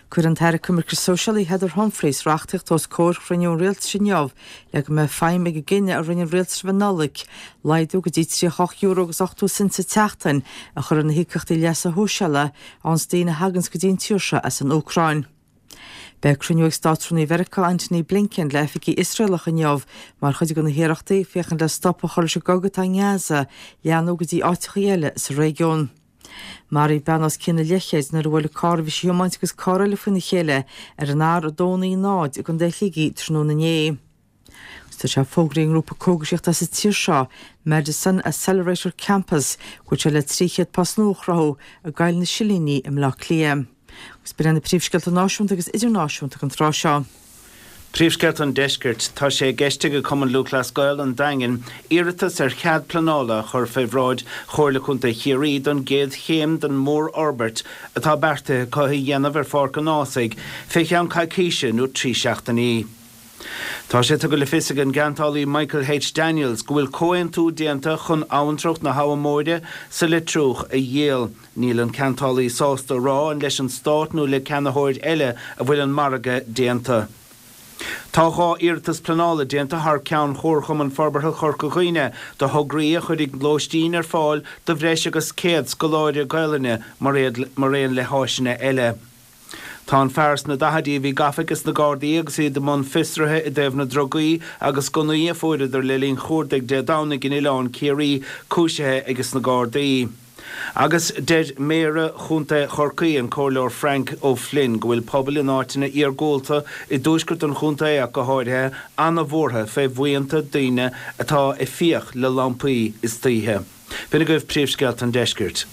Cuirfidh an tAire Coimirce Sóisialaí Heather Humphreys reachtaíocht os comhair chruinniú an Rialtais inniu le go mbeidh feidhm ag an gcinneadh a rinne an Rialtas roimh an Nollaig laghdú go dtí tríocha ocht euro agus ochtó cent sa tseachtain a chur ar na híocaíochtaí leasa shóisialaigh a fhaigheanns daoine a thaganns go dtí an tír seo as an Úcráin. Beidh cruinniú ag Státrúnaí Mheiriceá Antony Blinken le oifigigh Iosraelacha inniu mar chuid de na hiarrachtaí féachaint le stop a chur leis an gcogadh atá i nGaza leathnú go dtí áiteacha eile sa réigiún. Maraíodh bean os cionn an leathchéid nuair a bhuail an carr a bhí sí a thiomáint agus carr eile faoina chéile ar an R a dó naoi náid i gContae Shligigh tráthnóna inné. Agus tá sé fógraithe ag an ngrúpa cógaisíochta sa tír seo, Medicine Accelerator Campus, go bhfuil sé le trí chéad post nua a chruthú i gCoill na Silíní i mBleá Cliath. Agus b'in iad na príomhscéalta náisiúnta agus idirnáisiúnta don tráth seo. Príomhscéalta an Deiscirt, Tá sé i gceist ag Cumann Lúthchleas Gael an Daingin iarratas ar chead pleanála a chur fé bhráid Chomhairle Contae Chiarraí don gcéad chéim den mhórfhorbairt atá beartaithe acu a dhéanamh ar Pháirc an Ághasaigh fé cheann coicíse nó trí seachtainí. Tá sé tugtha le fios ag an gceantálaí Michael H. Daniels go bhfuil comhaontú déanta chun abhantrach na hAbha Móire sa Leitriúch a dhíol. Níl an ceantálaí sásta a rá an leis an Stát nó le ceannaitheoir eile a bhfuil an margadh déanta. Tá dhá iarratas pleanála déanta thar ceann Chomharchumann Forbartha Chorca Dhuibhne do thograí a chuirfidh lóistín ar fáil do bhreis agus céad scoláire Gaelainne mar aon le háiseanna eile. Tá an fear sna daichidí a bhí gafa ages na Gardaí agus iad i mbun fiosraithe i dtaobh na drugaí agus gunnaí a fuaireadar le linn chuardaigh Dé Domhnaigh in Oileán Ciarraí cúisithe ages na Gardaí. Agus deir Méara Chontae Chorcaí, an Comhairleoir Frank O'Flynn, go bhfuil pobail in áiteanna iargúlta, i dtuaisceart an chontae ach go háirithe, ana-bhuartha fé bhuíonta daoine atá ag fiach le lampaí istoíche. B'in agaibh príomhscéalta an deiscirt.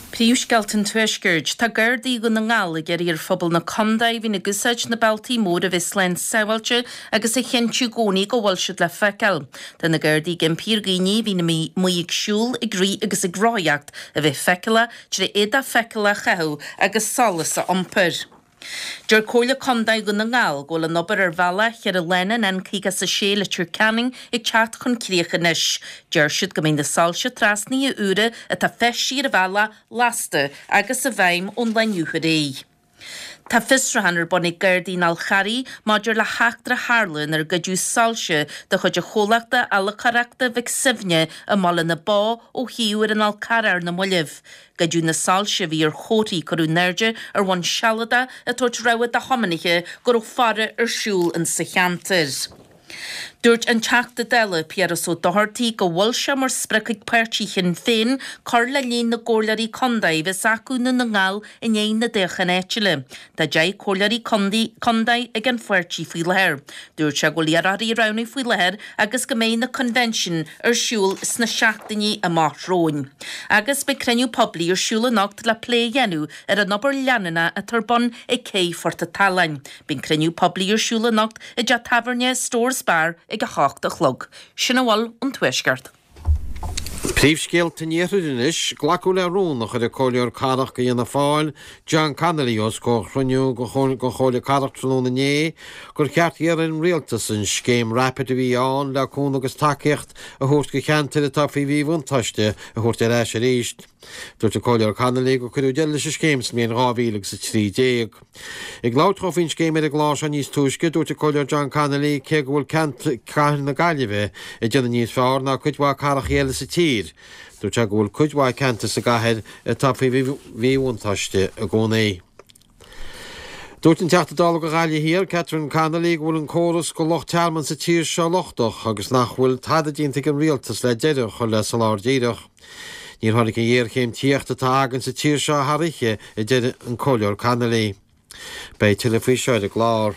Príomhscéalta an Tuaiscirt. Tá Gardaí Dhún na nGall ag iarraidh ar phobal na contae a bhíonn ag úsáid na bealtaí móra a bheith slán sábháilte agus a chinntiú i gcónaí go bhfuil siad le feiceáil. Tá na Gardaí ag impí ar dhaoine a bhíonn amuigh ag siúl, ag rith agus ag rothaíocht a bheith feiceálach trí éadach feiceálach a chaitheamh agus solas a iompar. Deir Comhairle Contae Dhún na nGall go bhfuil an obair ar bhealach cheithre lána an N caoga is a sé Leitir Ceanainn ag teacht chun críoch anois. Deir siad go mbeidh na soilse trasnaithe úra atá feistithe ar an bhealach lasta agus i bhfeidhm ón lá inniu ar aghaidh. Tá fiosrúchán ar bun ag Gardaí an Fhál Charraigh maidir le heachtra a tharla inar goideadh soilse de chuid an chomhlachta Fheilcóireachta Mhic Suibhne i mBaile na Bó ó shuíomh ar an Fhál Carrach ar na mallaibh. Goideadh na soilse a bhí ar chomharthaí a cuireadh in airde ar bhonn sealadach ag tabhairt rabhadh do thiománaithe go raibh faire ar siúl insa cheantar. Dúirt an Teachta Dála Piaras Ó Dochartaigh go bhfuil sé mar sprioc ag páirtí Shinn Féin cur le líon na gcomhairleoirí contae a bheas acu i nDún na nGall i ndiaidh na dtoghchán áitiúla. Tá deich comhairleoirí contae ag an pháirtí faoi láthair. Dúirt sé go bhfuil iarrthóirí á roghnú faoi láthair agus go mbeidh na coinbhinsiúin ar siúl sna seachtainí amach romhainn. Agus beidh cruinniú poiblí ar siúl anocht le plé a dhéanamh ar an obair leanúnach atá ar bun ag Cé Phort an tSalann. Beidh an cruinniú poiblí ar siúl anocht i dteach tábhairne Store's Bar ag a hocht a chlog. Sin a bhfuil ón Tuaisceart. Príomhscéalta an Iarthair anois, Glacadh le rún a chuir an Comhairleoir Cathrach do Fhianna Fáil, John Connolly, os comhair chruinniú den Chomhairle Cathrach tráthnóna inné gur cheart iarraidh ar an Rialtas an scéim Rapid a bhí ann le cúnamh agus tacaíocht a thabhairt do cheantair atá faoi mhíbhuntáiste a thabhairt ar ais arís. Dúirt an Comhairleoir Connolly gur cuireadh deireadh leis an scéim sa mbliain dhá mhíle agus a trí déag. Ag labhairt dhó faoin scéim ar an gclár seo níos túisce, dúirt an Comhairleoir John Connolly cé go bhfuil cathair na Gaillimhe ag déanamh níos fearr ná cuid mhaith cathracha eile sa tír, dúirt sé go bhfuil cuid mhaith ceantar sa gcathair atá faoi mhíbhuntáiste i gcónaí. Dúirt an Teachta Dála do Ghaillimh Thiar, Catherine Connolly, go bhfuil an córas do lucht tearmainn sa tír seo lochtach agus nach bhfuil tada déanta ag an rialtas le deireadh a chur le soláthar díreach. Níor tháinig an ghéarchéim tithíochta atá againn sa tír seo thar oíche, a deir an Comhairleoir Connolly. Beidh tuilleadh faoi seo ar an gclár.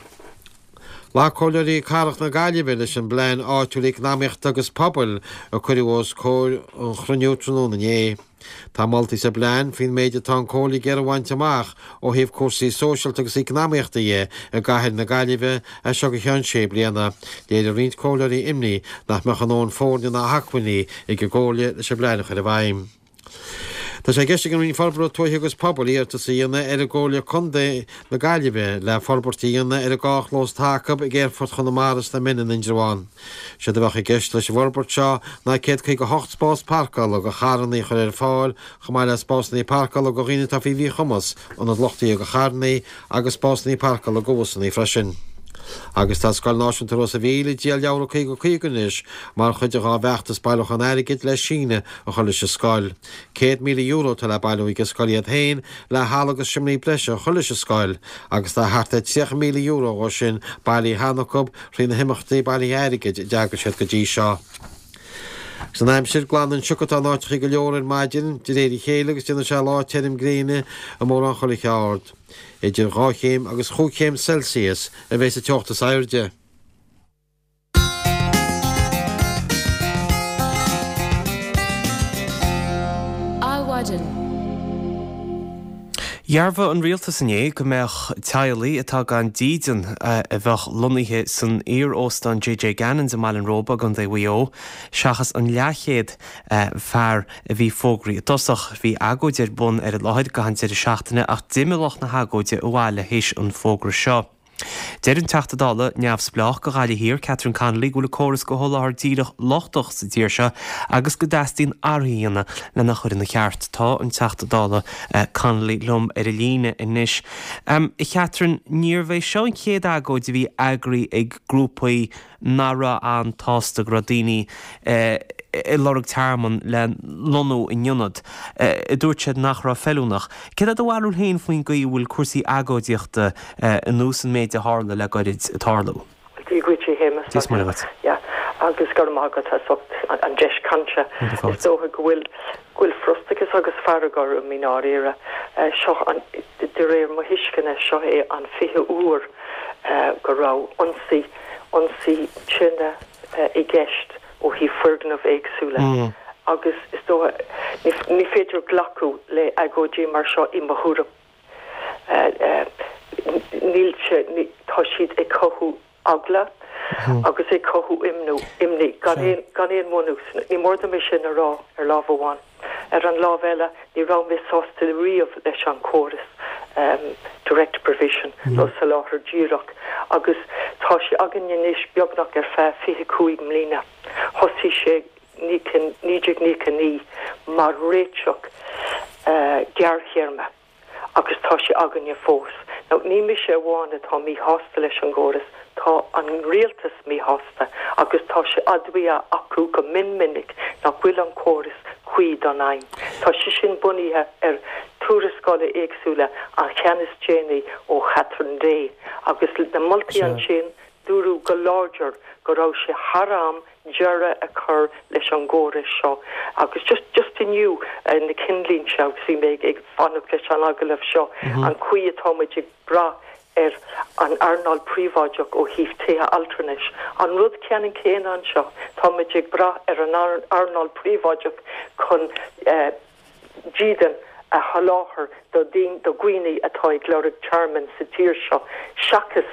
Ghlac Comhairleoirí Cathrach na Gaillimhe leis an bPlean Áitiúil Eacnamaíochta agus Pobail a cuireadh os comhair an chruinniú tráthnóna inné. Tá moltaí sa bplean faoin méid atá an Chomhairle ag iarraidh a bhaint amach ó thaobh cúrsaí sóisialta agus eacnamaíochta dhe i gcathair na Gaillimhe as seo go ceann sé bliana. Léirigh roinnt comhairleoirí imní nach mbeadh a ndóthain foirne ná hacmhainní ag an gComhairle leis an bplean a chur i bhfeidhm. Tá sé i gceist ag an Roinn Forbartha Tuaithe agus Pobail iarratas a dhéanamh ar an gComhairle Contae na Gaillimhe le forbairt a dhéanamh ar an dhá chlós atá acu ag Aerfort Chonamara sna Mine in Indreabhán. Séard a bheadh i gceist leis an bhforbairt seo ná céad caoga a hocht spás páirceála do charranna a chur ar fáil chomh maith le spásanna páirceála do dhaoine atá faoi mhíchumas, ionad luchtaithe do charranna agus spásanna páirceála do bhusanna freisin. Agus tá Scoil Náisiúnta Ros a' Mhíl ag díol leabhra caoga caoga anois mar chuid de dhá bhfeachtas bailiúchán airgid le síneadh a chur leis an scoil. Céad míle euro atá le bailiú ag an scoil iad féin le halla agus seomraí breise a chur leis an scoil agus tá thart ar tríocha míle euro dhó sin bailithe cheana acu thrí na himeachtaí bailithe airgid a d'eagraigh siad go dtí seo. Agus an aimsir, glanfaidh an sioc atá in áiteachaí go leor ar maidin de réir a chéile agus déanfaidh sé lá tirim gréine i mórán chuile cheard. Idir dhá chéim agus chúig chéim Celsius a bheidh sa teocht is airde. Adhmhaidin. Dhearbhaigh an rialtas inné go mbeadh teaghlaigh atá gan dídean a bheadh lonnaithe san iar-óstán JJ Gannon's i mBaile an Róba i gContae Mhaigh Eo, seachas an leathchéad fear a bhí fógraithe i dtosach. Bhí agóid ar bun ar an láthair gach an deireadh seachtaine ach d'imigh lucht na hagóide abhaile théis an fógra seo. Deir an Teachta Dála neamhspleách do Ghaillimh Thiar, Catherine Connolly, go bhfuil an córas de sholáthar díreach lochtach sa tír seo agus go dteastaíonn athruithe a dhéanamh lena chur ina cheart. Tá an Teachta Dála Connolly liom ar an líne anois. A Chatherine, níorbh é seo an chéad agóid a bhí eagraithe ag grúpaí nach raibh an-tsásta go raibh daoine ag lorg tearmann le lonnú in ionad a dúirt siad nach raibh feiliúnach. Céard é do bharúil féin faoin gcaoi a bhfuil cúrsaí agóidíochta ar nós an méid a tharla le gairid ag tarlú? Dia dhuit, a Shéamais. Dia is Muire dhuit. Yeah. Agus go raibh maith agat as ucht an deis cainte. Is dócha go bhfuil go bhfuil frustrachas agus fearg orm i ndáiríre. Seo an, de réir mo thuisceana, seo é an fichiú uair go raibh ionsaí, ionsaí tine i gceist ó thaobh foirgneamh éagsúla agus is dócha, ní féidir glacadh le agóidí mar seo i mo thuairim. Níl sé, tá siad ag cothú eagla agus ag cothú imní gan aon, gan aon bhunús. Ní mór dom é sin a rá ar lámh amháin. Ar an lámh eile, ní raibh mé sásta riamh leis an chóras direct provision nó soláthar díreach agus tá sé againn anois beagnach ar feadh fiche cúig mbliana. Thosaigh sé naoi déag nócha naoi mar réiteach gearrthéarma. agus tá sé againne fós. Now, ní mise amháin atá míshásta leis an gcóras, tá an rialtas míshásta agus tá sé admhaithe acu go mion minic nach bhfuil an córas cuí don fheidhm. Tá sé sin bunaithe ar tuarascála éagsúla, an cheann is déanaí ó Catherine Day, agus na moltaí ansin, Dúradh go láidir go raibh sé thar am deireadh a chur leis an gcóras seo. Agus just just inniu na cinnlínte agus bhí mé ag fanacht leis an agallamh seo, an chaoi atá muid ag brath ar an earnáil príobháideach ó thaobh tithe altranais. An rud ceannann céanna anseo, tá muid ag brath ar an earnáil príobháideach chun dídean a sholáthar do dhaoine atá ag lorg tearmainn sa tír seo, seachas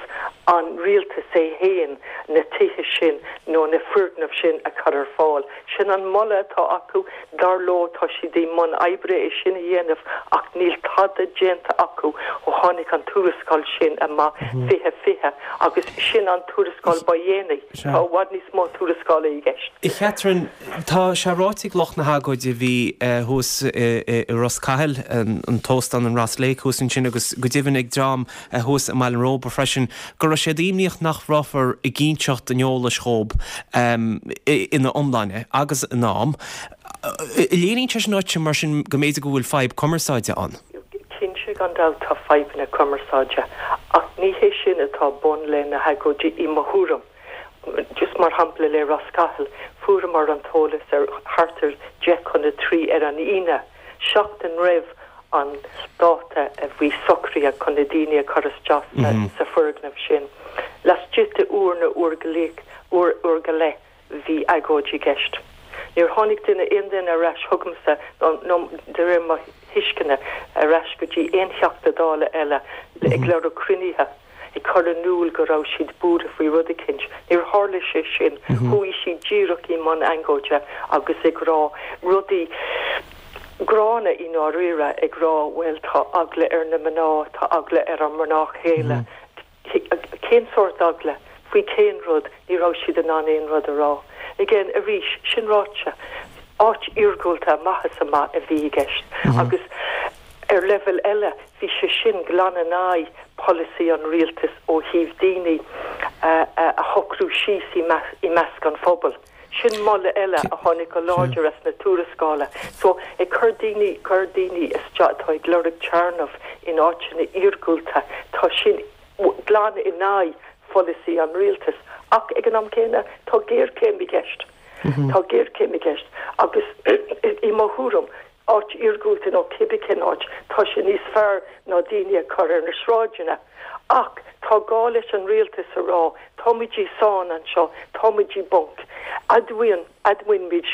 an rialtas é féin na tithe sin nó na foirgnimh sin a chur ar fáil. Sin an moladh atá acu, dar leo tá siad i mbun oibre é sin a dhéanamh ach níl tada déanta acu ó tháinig an tuarascáil sin amach fiche fiche agus sin an tuarascáil ba dhéanaí. Tá i bhfad níos mó tuarascála i gceist. A Chatherine, tá sé ráite ag lucht na hagóide a bhí thuas i Ros Cathail, an t-óstán an Ross Lake thuas ansin agus go deimhin ag dream thuas i mBaile an Róba freisin, go raibh siad imníoch nach rabhthar ag inseacht an eolais dhóibh ina iomláine agus in am. Léiríonn sé sin duit mar sin go mb'fhéidir go bhfuil fadhb cumarsáide ann? Cinnte gan dabht tá fadhbanna cumarsáide ach ní hé sin atá bun le na hagóidí i mo thuairim. Just mar shampla le Ros Cathail, fuaireamar an t-eolas ar thart ar deich chun a trí ar an Aoine, seachtain roimh an dáta a bhí socraithe chun na daoine a chur isteach sa foirgneamh sin. Laistigh de uair nó uair go leith, uair, uair go leith bhí agóid i gceist. Níor tháinig duine, aon duine ar ais chugamsa nó de réir mo thuisceana, ar ais go dtí aon Theachta Dála eile ag lorg cruinnithe, ag cur in iúl go raibh siad buartha faoi rud eicínt. Níor tharla sé sin. Chuaigh siad díreach i mbun agóide agus ag rá rudaí gránna i ndáiríre, ag rá bhuel tá eagla ar na mná, tá eagla ar ár mná chéile. Cén sórt eagla? Faoi cén rud? Ní raibh siad in ann aon rud a rá. Again, arís, sin ráite, áit iargúlta amach is amach a bhí i gceist. Agus ar leibhéal eile, bhí sé sin glan in aghaidh polasaí an rialtais ó thaobh daoine a shocrú síos i measc an phobail. Sin moladh eile a tháinig go láidir as na tuarascála. So, ag cur daoine, cur daoine isteach atá ag lorg téarnamh in áiteanna iargúlta, tá sin glan in aghaidh pholasaí an rialtais. Ach ag an am céanna, tá géarchéim i gceist. Tá géarchéim i gceist agus i mo thuairim, áit iargúlta nó cibé cén áit, tá sé níos fearr ná daoine a chur ar na sráideanna. Ach tá gá leis an rialtas a rá, táimid i sáinn anseo, táimid i bponc. Admhaíonn, admhaímid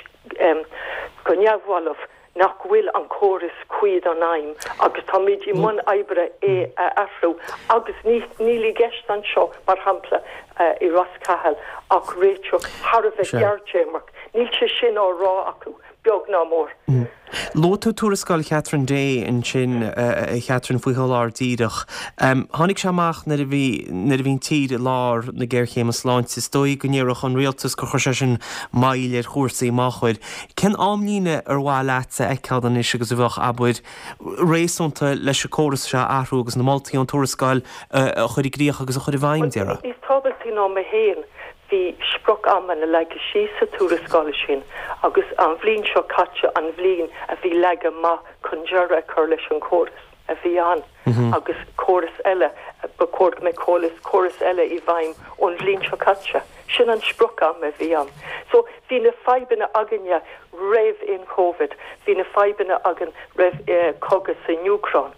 go neamhbhalbh nach bhfuil an córas cuí don aidhm agus táimid i mbun oibre é a athrú agus ní, níl i gceist anseo, mar shampla, i Ros Cathail ach réiteach thar a bheith gearrthéarmach. Níl sé sin á rá acu, beag ná mór. Luaigh tú tuarascáil Chatherine Day ansin, a Chatherine, faoi sholáthar díreach. Tháinig sé amach nuair a bhí nuair a bhí an tír i lár na géarchéime sláinte. Is dóigh go ndéarfadh an rialtas gur chuir sé sin moill ar chúrsaí, má chuir. Cén amlíne ar mhaith leatsa a fheiceáil anois agus a bheadh, abair, réasúnta leis an córas seo a athrú agus na moltaí ón tuarascáil a chur i gcrích agus a chur i bhfeidhm, déarfá? Níos tábhachtaí ná mé féin, bhí sprioc-amanna leagtha síos sa tuarascáil sin agus an bhliain seo caite an bhliain a bhí leagtha amach chun deireadh a chur leis an chóras a bhí ann agus córas eile, ba chóir go mbeadh córas, córas eile i bhfeidhm ón bhliain seo caite. Sin an sprioc-am a bhí ann. So bhí na fadhbanna againne roimh an Covid, bhí na fadhbanna againn roimh cogadh san Úcráin.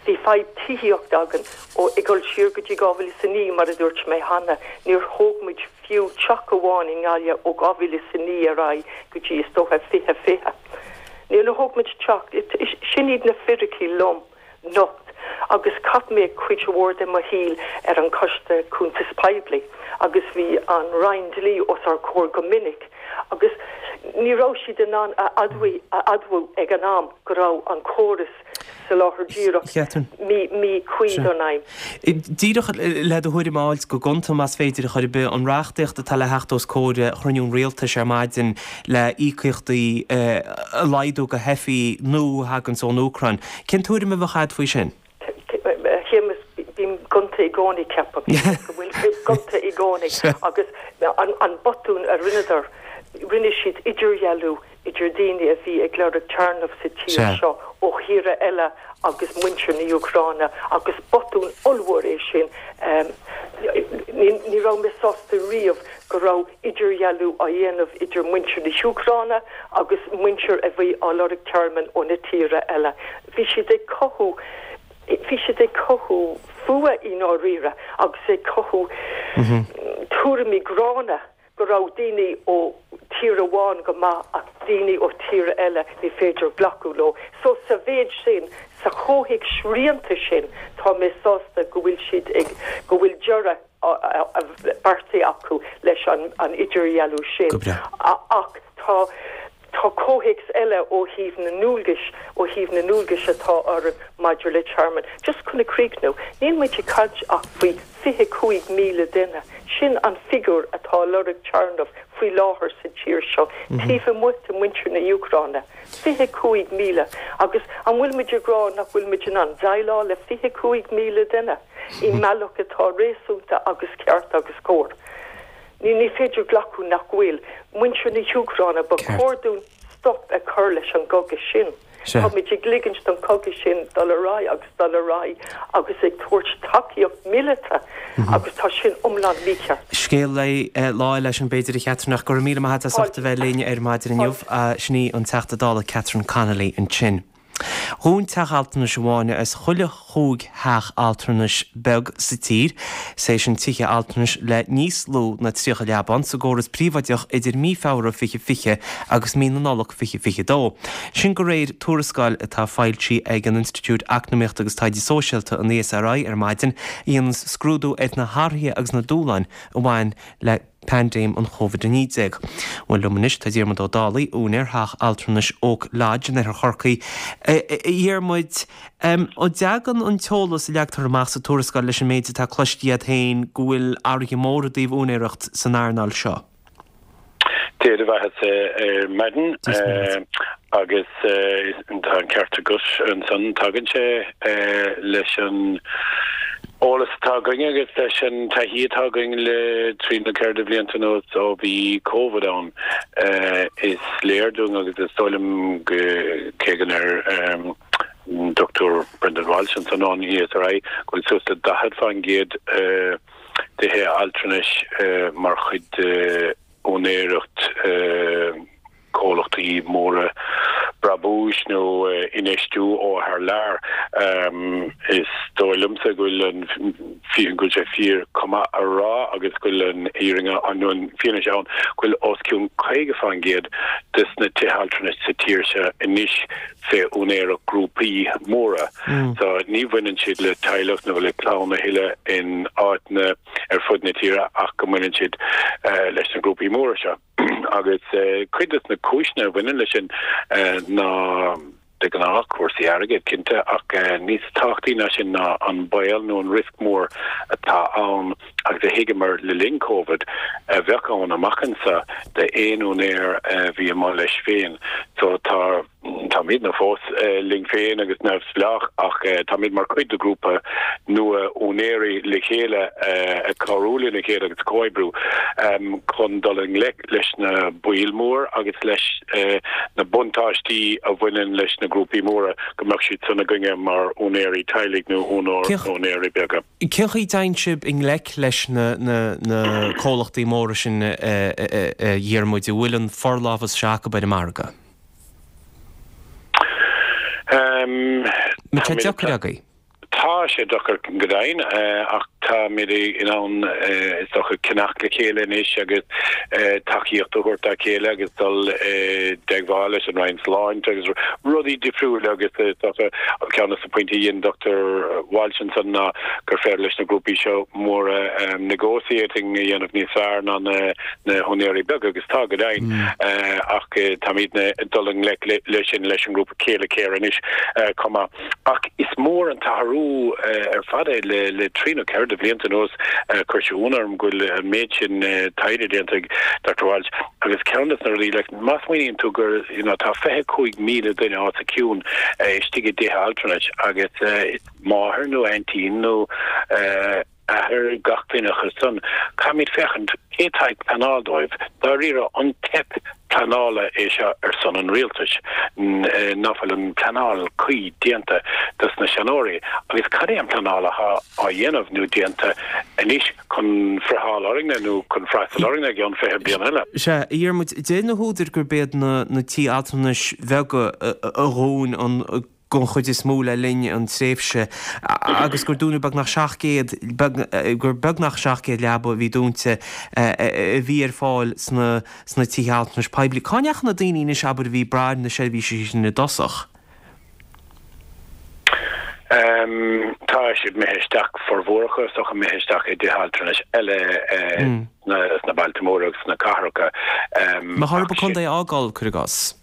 Bhí fadhb tithíochta againn ó ag dul siar go dtí dhá mhíle is a naoi, mar a dúirt mé cheana, níor thóg muid fiú teach amháin i nGaillimh ó dhá mhíle is a naoi ar aghaidh go dtí is dócha fiche fiche. Níor thóg muid teach. Sin iad na fíricí lom nocht agus chaith mé cuid mhór de mo shaol ar an Choiste Cuntas Poiblí agus bhí an Roinn Dlí os ár gcomhair go minic agus ní raibh siad in ann a admhú ag an am go raibh an córas soláthair díreach míchuí don aidhm. Díreach le do thuairim a fháilt go gonta, más féidir, a chor ar bith, an reachtaíocht atá le theacht os comhair chruinniú an Rialtais ar maidin le íocaíochtaí a laghdú do theifigh nua a thaganns ón Úcráin. Cén tuairim a bheadh agat faoi sin? A Shéamuis, bím gonta i gcónaí, ceapaim go bhfuil mé gonta i gcónaí agus an botún a rinneadar, rinne siad idirdhealú idir daoine a bhí ag lorg téarnamh sa tír seo ó thíortha eile agus muintir na hÚcráine agus botún ollmhór é sin. Ní raibh mé sásta riamh go raibh idirdhealú á dhéanamh idir muintir na hÚcráine agus muintir a bhí á lorg tearmann ó na tíortha eile. Bhí siad ag cothú bhí siad ag cothú fuath i ndáiríre agus ag cothú tuairimí gránna go raibh daoine ó tír amháin go maith ach daoine ó tír eile ní féidir glacadh leo. So sa mhéid sin, sa chomhthéacs srianta sin, tá mé sásta go bhfuil siad ag, go bhfuil deireadh beartaithe acu leis an an idirdhealú sin. Go breá. Ach tá tá comhthéacs eile ó thaobh na ndualgais, ó thaobh na ndualgais atá orainn maidir le tearmann. Just chun a chríochnú, níl muid ag caint ach faoi fiche cúig míle duine. Sin an figiúr atá ag lorg tearmann faoi láthair sa tír seo, taobh amuigh de mhuintir na hÚcráine. Fiche cúig míle. Agus an bhfuil muid ag rá nach bhfuil muid in ann déileáil le fiche cúig míle duine i mbealach atá réasúnta agus ceart agus cóir? Ní ní féidir glacadh nach bhfuil muintir na hÚcráine, ba chóir dúinn stop a chur leis an gcogadh sin. Táimid ag ligint don chogadh sin dul ar aghaidh agus dul ar aghaidh agus ag tabhairt tacaíocht míleata agus tá sin iomlán mícheart. Scéal le lá eile sin b'fhéidir a Chatherine ach go raibh míle maith agat as ucht a bheith linn ar maidin inniu. Sin í an Teachta Dála Catherine Connolly ansin. Dhún teach altranais amháin as chuile chúig theach altranais beag sa tír, is é sin tithe altranais le níos lú ná tríocha leaba sa gcóras príobháideach idir mí Feabhra fiche fiche agus mí na Nollag fiche fiche dó. Sin de réir tuarascáil atá foilsithe ag an Institiúid Eacnamaíochta agus Taighde Sóisialta, an E S R I, ar maidin, a dhéanann scrúdú ar na hathruithe agus na dúshláin a bhain le paindéim an Covid a naoi déag. Bhuel liom anois tá Diarmuid Ó Dálaigh, úinéir theach altranais Oak Lodge in oirthear Chorcaí. A Dhiarmuid, an dtagann an t-eolas a leagtar amach sa tuarascáil leis an méid atá cloiste agat féin go bhfuil athruithe móra i dtaobh úinéireacht san earnáil seo? Dia do bheatha ar maidin agus tá an ceart agat ansan, tagann sé leis an eolas atá againn agus leis an taithí atá againn le trí nó ceithre de bhlianta anuas ó bhí Covid ann. Is léir dúinn agus is dóigh liom go cé go ndeir Dochtúir Brendan Walsh ansan ón E S R I go bhfuil suas le daichead faoin gcéad de thithe altranais mar chuid de úinéireacht comhlachtaí móra brabúis nó infheistiú ó thar lear. Is dóigh liomsa go bhfuil an go bhfuil sé fíor chomh maith a rá agus go bhfuil an fhírinne nó an fianaise ann go bhfuil os cionn caoga faoin gcéad de na tithe altranais sa tír seo anois fé úinéireacht grúpaí móra. So ní bhaineann siad le teaghlach nó le clann a thuilleadh in áiteanna ar fud na tíre ach go mbaineann siad leis na grúpaí móra seo. Agus cuid de na cúiseanna a bhaineann leis sin ná de ghnáth cúrsaí airgid cinnte ach níos tábhachtaí ná sin ná an baol nó an riosca mór atá ann agus a thuigeamar le linn Covid a bheadh ann amach anseo d'aon úinéir a bhí amuigh leis féin. So tá Táimidne fós linn féin agus neamhspleách ach táimid mar chuid de ghrúpa nua úinéirí le chéile ag cabhrú lena chéile agus comhoibriú chun dul i ngleic leis na baoil mór agus leis na buntáistí a bhaineann leis na grúpaí móra go mbeadh siad san againne mar úinéirí teaghlaigh nó úinéirí beaga. Cén chaoi a dtéann sibh i ngleic leis na comhlachtaí móra sin a Dhiarmuid, a bhfuil an forlámhas seo acu ar an margadh? Tá sé deacair agaibh. Tá sé deacair go deimhin ach táimid in ann is dócha ceannach le chéile anois agus tacaíocht a thabhairt dá chéile agus dul i dteagmháil leis an Roinn Sláinte agus rudaí difriúla agus is dócha an ceann de na pointí a dhein Dochtúir Walsh ansan ná gur féidir leis na grúpaí seo móra negotiating a dhéanamh níos fearr ná na na húinéirí beaga agus tá go deimhin ach táimidne ag dul i ngleic leis sin leis an ngrúpa Céile Care anois chomh maith. Ach is mór an t-athrú ar fad é le trí nó ceithre de bhlianta anuas. Chuir sé ionadh orm go bhfuil an méid sin taighde déanta ag Doctor Walsh agus ceann de na rudaí, like, má smaoiníonn tú gur, you know, tá fiche cúig míle duine os a cionn istigh i dtithe altranais agus is máthair nó aintín nó athair gach duine acu san, caithfimid féachaint cé atá ag pleanáil dóibh. Dáiríre, an teip pleanála é seo ar son an rialtais, ná fuil an pleanáil cuí déanta dos na seanóirí agus cad é an pleanáil atá á dhéanamh nó déanta anois chun friotháil orainne nó chun freastal orainne i gceann fiche bliain eile. Sea, a Dhiarmuid, deir na húdair gurb iad na tithe altranais bheaga a dhún an den chuid is mó le linn an tréimhse agus gur dúnadh beagnach seacht gcéad, gur beagnach seacht gcéad leaba a bhí dúnta a bhí ar fáil sna sna tithe altranais poiblí. Cá ndeachaigh na daoine anois abair a bhí ag brath ar na seirbhísí sin i dtosach? Tá siad imithe isteach, formhór acu is dócha, imithe isteach i dtithe altranais eile sna bailte móra agus sna cathracha. Mbeadh orthu an contae a fhágáil, cuir i gcás.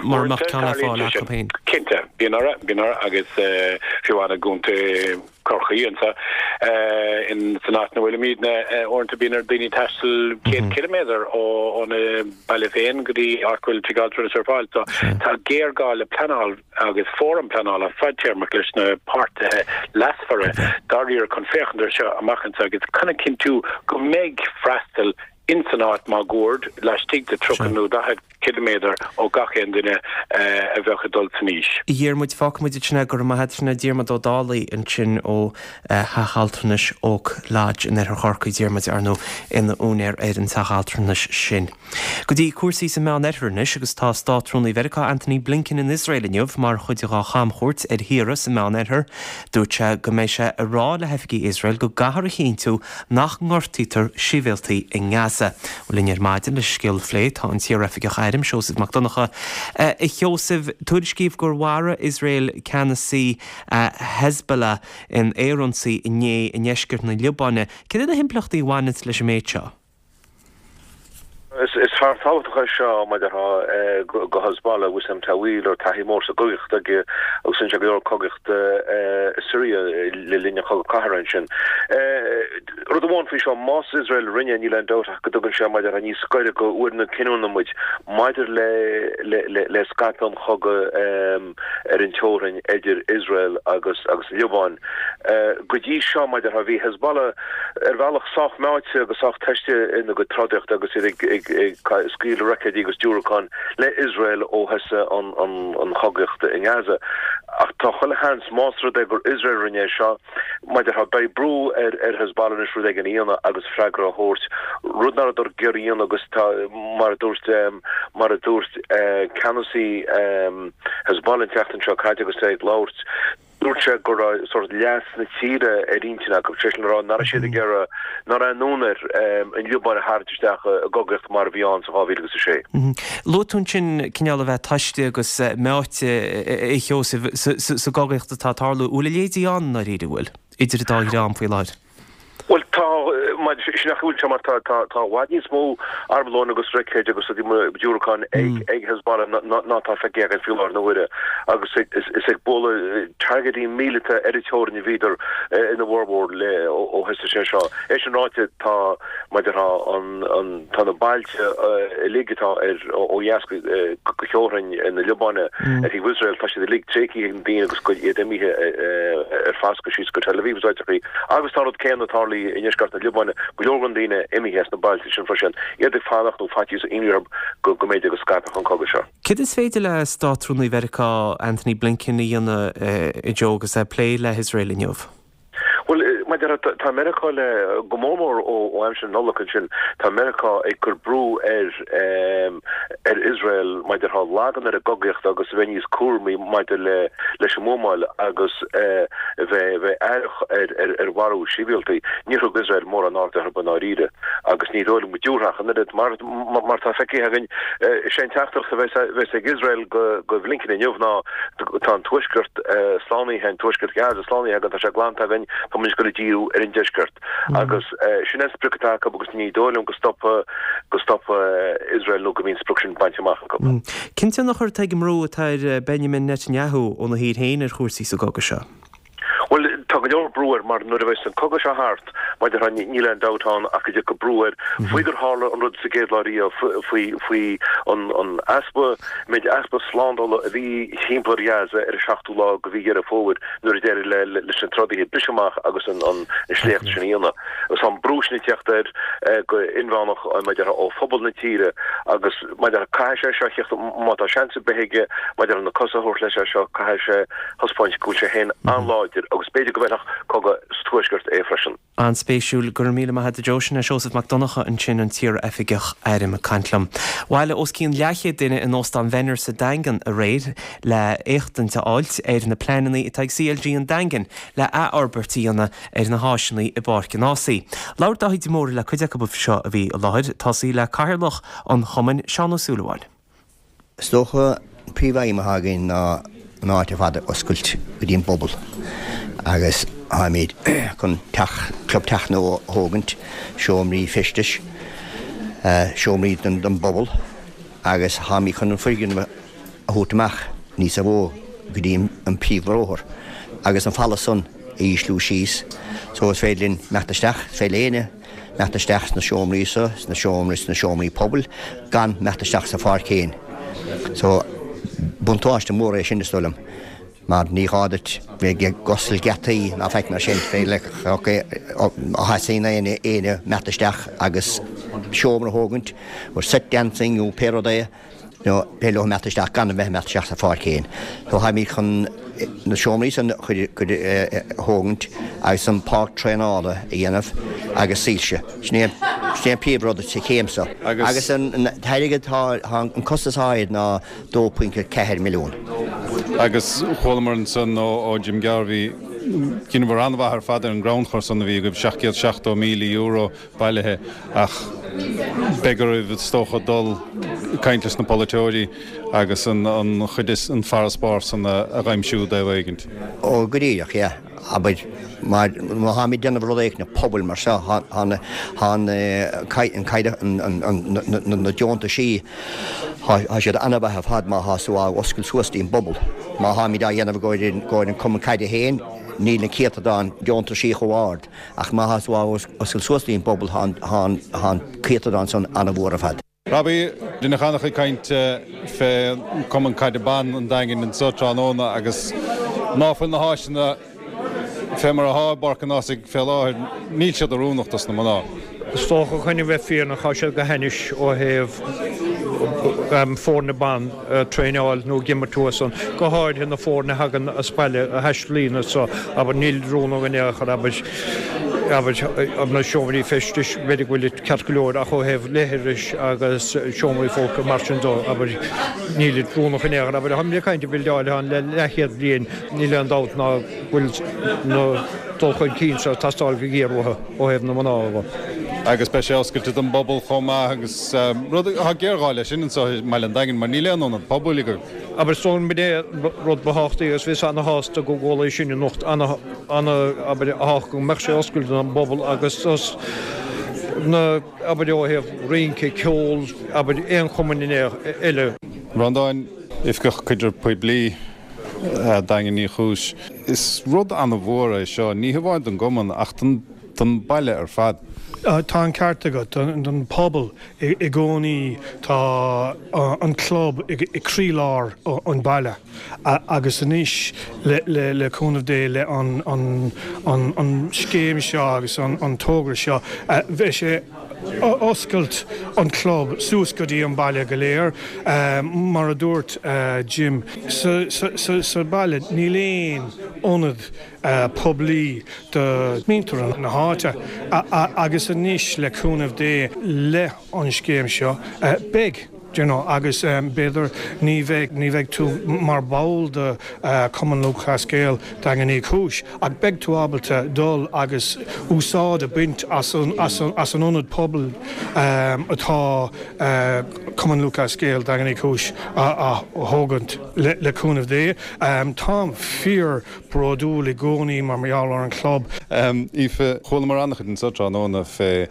Mura mbeadh ceann ar fáil acu féin. Cinnte, bíonn orthu, bíonn orthu agus fiú amháin i gContae Chorcaí anseo, san áit ina bhfuilimidne, uaireanta bíonn ar daoine taisteal céad ciliméadar óna baile féin go dtí áit go bhfuil tigh altranais ar fáil. So tá géarghá le pleanáil agus fóram pleanála fadtéarmach leis na páirtithe leasmhara dáiríre chun féachaint ar seo amach anseo agus chun a chinntiú go mbeidh freastal ins an áit máguaird, laistigh de tríocha nó daichead ciliméadar ó gach aon duine a bheadh ag dul san aois. A Dhiarmuid, fágfaimid ansin é, go raibh maith agat. Sin é Diarmuid Ó Dálaigh ansin ó Theach Altranais Oak Lodge in oirthear Chorcaí, Diarmuid, ar ndóigh, ina úinéir ar an teach altranais sin. Go dtí cúrsaí sa Meán-Oirthear anois agus tá Státrúnaí Mheiriceá Antony Blinken in Iosrael inniu mar chuid dá chamchuairt ar thíortha sa Meán-Oirthear. Dúirt sé go mbeidh sé ag rá le hoifigigh Iosrael go gcaithfear a chinntiú nach ngortaítear sibhialtaigh i nGaza. Linn ar maidin leis an scéal a phlé tá an t-iaroifigeach airm, Seosamh Mac Donncha. A Sheosaimh, tuairiscíodh gur mharaigh Iosrael ceannasaí Hezbollah in aerionsaí inné i ndeisceart na Liobáine. Cad iad na himpleachtaí a bhaineanns leis an méid seo? Is fear tábhachtach é seo mar a déarfá do Hezbollah, Wissam Tawil, a raibh taithí mór sa gcogaíocht aige agus rinne sé go leor cogaíochta i Siria le linn an Chogadh Cathartha ansin. Rud amháin faoi seo, más Iosrael a rinne é, níl aon dabht ach go dtugann sé mar a déarfá níos gaire go uair na cinniúna muid maidir le scaipeadh an chogaidh ar an teorainn idir Iosrael agus agus an Liobáin. Go dtí seo, mar a déarfá, bhí Hezbollah ar bhealach sách meáite agus sách tomhaiste ina gcuid trodaíochta agus iad ag scaoileadh roicéidí agus diúracán le Iosrael ó thosaigh an chogaíocht i nGaza. Ach tá chuile sheans, más rud é gur Iosrael a rinne é seo, mar a déarfá, beidh brú ar Hezbollah anois rud éigin a dhéanamh agus freagra a thabhairt, rud nach rabhadar ag iarraidh a dhéanamh agus tá, mar a dúirt, mar a dúirt ceannasaí Hezbollah an tseachtain seo caite agus é ag labhairt, dúirt sé go raibh sórt leas na tíre ar intinn acu, sé sin le rá nach raibh siad ag iarraidh, nach raibh aon fhonn air an Liobáin a tharraingt isteach i gcogaíocht mar a bhí ann sa dhá mhíle agus a sé. Luaigh tú ansin cineál a bheith tomhaiste agus meáite, a Sheosaimh, sa gcogaíocht atá ag tarlú. An bhfuil a leithéidí ann i ndáiríre, an bhfuil, idir an dá dhream faoi láthair? Bhuel, tá, sin nach bhfuil sé mar tá tá i bhfad níos mó armlóin agus roicéid agus diúracáin ag ag Hezbollah ná tá feicthe againn faoi láthair na huaire agus is ag bualadh targaidí míleata ar an teorainn a bhíodar ina bhformhór le ó thosaigh sé seo. É sin ráite, tá, mar a déarfá, an an tá na bailte uilig atá ar ó dheas go go theorainn na Liobáine ar thaobh Iosrael, tá siad uilig tréigthe ag na daoine agus iad imithe ar foscadh síos go Tel Aviv is áiteachaí. Agus tá an rud céanna tarlaithe i ndeisceart na Liobáine, go leor den daoine imithe as na bailte sin freisin, iad ag fanacht nó faitíos imní orthu go go mb'fhéidir go scaipfeadh an cogadh seo. Céard is féidir le Státrúnaí Mheiriceá Antony Blinken a dhéanamh, a Joe, agus é ag plé le hIosrael inniu? Bhuel, mar a déarfá, tá Meiriceá le, go mór mór ó aimsir na Nollag ansin, tá Meiriceá ag cur brú ar ar Iosrael, mar a déarfá, lagan ar an gcogaíocht agus a bheith níos cúramaí maidir le leis an mbuamáil agus a bheith bheith aireach ar ar ar mharú sibhialtaigh. Níor thug Iosrael mórán airde orthu i ndáiríre agus ní dóigh liom go dtabharfaidh ach an oiread. Mar mar atá feicthe againn, is é an teachtaireacht a bheas bheas ag Iosrael go go Blinken inniu ná tá an tuaisceart slánaithe, an tuaisceart Gaza slánaithe againn, tá sé glanta againn, tá muid ag dul ag díriú ar an deisceart. Agus sin an sprioc atá acu agus ní dóigh liom go stopfaidh go stopfaidh Iosrael nó go mbíonn an sprioc sin bainte amach acu. Cén tionchar atá ag an mbrú atá ar Benjamin Netanyahu óna thír féin ar chúrsaí sa gcogadh seo? Bhuel, tá go leor brú brú air mar nuair a bheas an cogadh seo thart, mar a déarfá, níl aon dabht ann ach go dtiocfaidh brú air faoi gur tharla an rud sa gcéad lá riamh, faoi faoi an an easpa, méid easpa slándála a bhí thimpeall ar Ghaza ar an seachtú lá de mhí Dheireadh Fómhair nuair a d'éirigh le leis na trodaithe briseadh amach agus an an sléacht sin a dhéanamh. Agus tá an brú sin ag teacht air go inmheánach, mar a déarfá, ó phobal na tíre agus mar a déarfá, caithfidh sé seo a theacht, má tá seans ar bith aige, mar a déarfá, na cosa a thabhairt leis as seo, caithfidh sé thaispeáint go bhfuil sé féin an-láidir agus b'fhéidir go bhfeilfeadh cogadh sa Tuaisceart é freisin. An-spéisiúil. Go raibh míle maith agat a Joe. Sin é Seosamh Mac Donncha ansin, an t-iar-oifigeach airm ag caint liom. Bhailigh os cionn leathchéad duine in Óstán Mhenner sa Daingean aréir le éachtaint a fháilt ar na pleananna atá ag CLG an Daingin le athfhorbairt a dhéanamh ar na háiseanna i bPáirc an Ághasaigh. Labhair Dáithí de Mórdha le cuid acu seo a bhí i láthair, ag tosaí le Cathaoirleach an Chumainn, Seán Ó Súilleabháin. Is dócha an príomhaidhm atá againn ná an áit ar fad a oscailt go dtí an bpobal agus táimid chun teach, club teach nua a thógaint, seomraí feistis, seomraí don bpobal agus táimid chun an foirgneamh a thabhairt amach níosa mhó go dtí an príomhbhóthar agus an falla san a ísliú síos so is féidir linn imeacht isteach, is féidir le éinne imeacht isteach sna seomraí so, sna seomraí, sna seomraí pobail gan imeacht isteach sa pháirc féin. So buntáiste mór é sin is dóigh liom mar ní gá duit bheith ag oscailt geataí ná faic mar sin, féidir le má theastaíonn éinne éinne imeacht isteach agus seomra a thógaint, or set dancing nó pé rud é, nó féidir leo imeacht isteach gan a bheith imeacht isteach sa pháirc féin. So táimid chun na seomraí san a thógaint agus an páirc traenála a dhéanamh agus soilse. Sin é sin é an príomhrud sa chéim seo. Agus an t-airgead tá an costas air ná dó pointe ceathair milliún. Agus chualamar ansan ó Jim Garvey, dheineabhair an-mhaith ar fad ar an gcrannchur san a bhí agaibh, seacht gcéad seachtó míle euro bailithe ach beidh oraibh is dócha dul ag caint leis na polaiteoirí agus an chuid is an farasbarr san a dh'aimsiú i dtaobh éigint. Ó go díreach, yeah. Abair, mar má tháimid ag déanamh rud éicint pobail mar seo, tá na, tá na, na deontaisí, tá siad an-mhaith ar fad má thá tú á oscailt suas don bpobal. Má tháimid á dhéanamh i gcomhair an cumann caide féin, níl an céatadán deontaisí chomh ard. Ach má thá tú á oscailt suas don bpobal, tá an céatadán san an-mhór ar fad. Robbie, rinneadh an-chuid cainte fé Cumann Caide Ban an Daingin anso tráthnóna agus ná fuil na háiseanna fé mar athá i bPáirc an Ághasaigh fé láthair, níl siad oiriúnach dos na mná. Is dócha chun a bheith fírinneach tá siad go hainnis ó thaobh foirne ban a traenáil nó ag imirt thuas ann, go háirithe na foirne a thagann as baile a thaistealaíonn as so, abair, níl oiriúnach in aon chor, abair, abair, na seomraí feistis, b'fhéidir go bhfuil ceart go leor ach ó thaobh leithris agus seomraí folctha mar sin dó, abair, níl oiriúnach in aon chor, abair, táimid ag caint ar bhildeáil ann le leathchéad bliain, níl aon dabht ná go bhfuil na dul chun cinn seo ag teastáil go géar uathu ó thaobh na mná de. Agus beidh sé oscailte don bpobal chomh maith agus rud, tá géarghá leis sin anseo i mBaile an Daingin mar níl aon ionad pobail agaibh. Abair, is dóigh liom b'in é an rud ba thábhachtaí agus bhíos ana-shásta go gcuala sin anocht, ana, ana, abair, thábhachtach go mbeadh sé oscailte don bpobal agus dos na, abair, ó thaobh rince, ceol, abair, aon chumann eile. Breandán, Oifigeach Caidrimh Poiblí. Daingean Uí Chúis. Is rud an-mhór é seo, ní hamháin don gcumann ach don baile ar fad. Tá an ceart agat, don pobal i gcónaí tá an club i gcroílár an baile agus anois le cúnamh Dé le an scéim seo agus an togra seo beidh sé oscailt an club suas go dtí an baile go léir. Mar a dúirt Jim, sa baile níl aon ionad poiblí do mhuintir na háite agus anois le cúnamh Dé le an scéim seo beidh. Do you know, agus b'fhéidir ní bheidh, ní bheidh tú mar ball de Chumann Lúthchleas Gael Daingean Uí Chúis ach beidh tú ábalta dul agus úsáid a bhaint as an, as an, as an ionad pobail atá Cumann Lúthchleas Gael Daingean Uí Chúis á thógaint le, le cúnamh Dé. Táim fíor bródúil i gcónaí mar gheall ar an chlub. Aoife, chualamar an-chuid anseo tráthnóna fé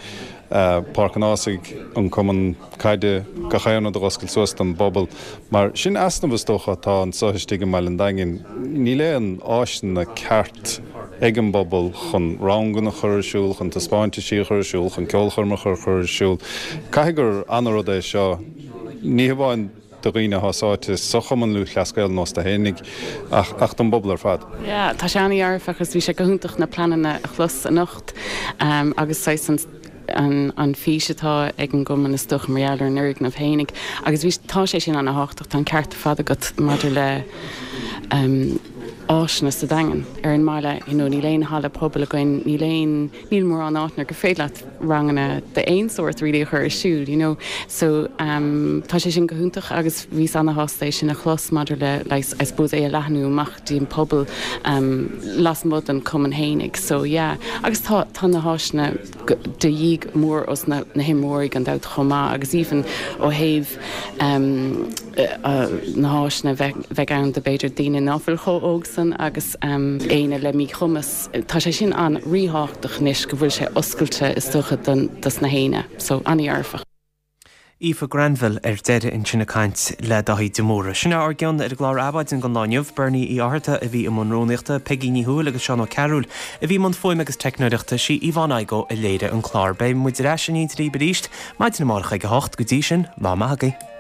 Páirc an Ághasaigh, an cumann caide, gach aon rud a dh'oscailt suas don bpobal. Mar sin easnamh is dócha atá anseo istigh i mBaile an Daingin. Níl aon áiseanna ceart ag an bpobal chun ranganna a chur ar siúl, chun taispeántaisí a chur ar siúl, chun ceolchoirmeacha a chur ar siúl. Caithfidh gur an-rud é seo, ní hamháin do dhaoine atá sáite sa Chumann Lúthchleas Gael an ósta fhéinig ach ach don bpobal ar fad. Yeah, tá sé an-dhearfach agus bhí sé go hiontach na pleananna a chlos anocht agus saghas an an an fís atá ag an gcumann is dócha mar gheall ar an fhoirgneamh fhéinig agus bhí tá sé sin an-thábhachtach tá an ceart ar fad agat maidir le um, áiseanna sa Daingean ar an mbaile you know, níl aon halla pobail againn níl aon níl mórán áiteanna gur féidir leat ranganna d'aon sórt really a chur ar siúl you know so um, tá sé sin go hiontach agus bhíos an-shásta é sin a chlos maidir le like, I suppose é a leathnú amach dtí'n pobal um, lasmuigh den cumann fhéinig so yeah agus tá tá na háiseanna de dhíth mór os na, na himreoirí gan dabht chomh maith agus even ó thaobh um, uh, na háiseanna bheith ann do b'fhéidir daoine nach bhfuil chomh hóg san agus um, daoine le míchumas tá sé sin an-ríthábhachtach anois go bhfuil sé oscailte is dócha don dos na héinne, so an-dhearfach. Aoife Granville ar deireadh ansin ag caint le Daithí de Mórdha. Sin ár gceann ar an gclár Adhmhaidin don lá inniu, Bernie Uí Fhátharta a bhí i mbun rúnaíochta, Peigí Ní Thuathail agus Seán Ó Cearúil a bhí i mbun fuaime agus teicneoireachta, sí Yvonne Igoe a léirigh an clár. Beidh muid ar ais in éineacht libh arís maidin amárach ag a hocht go dtí sin, lá maith agaibh.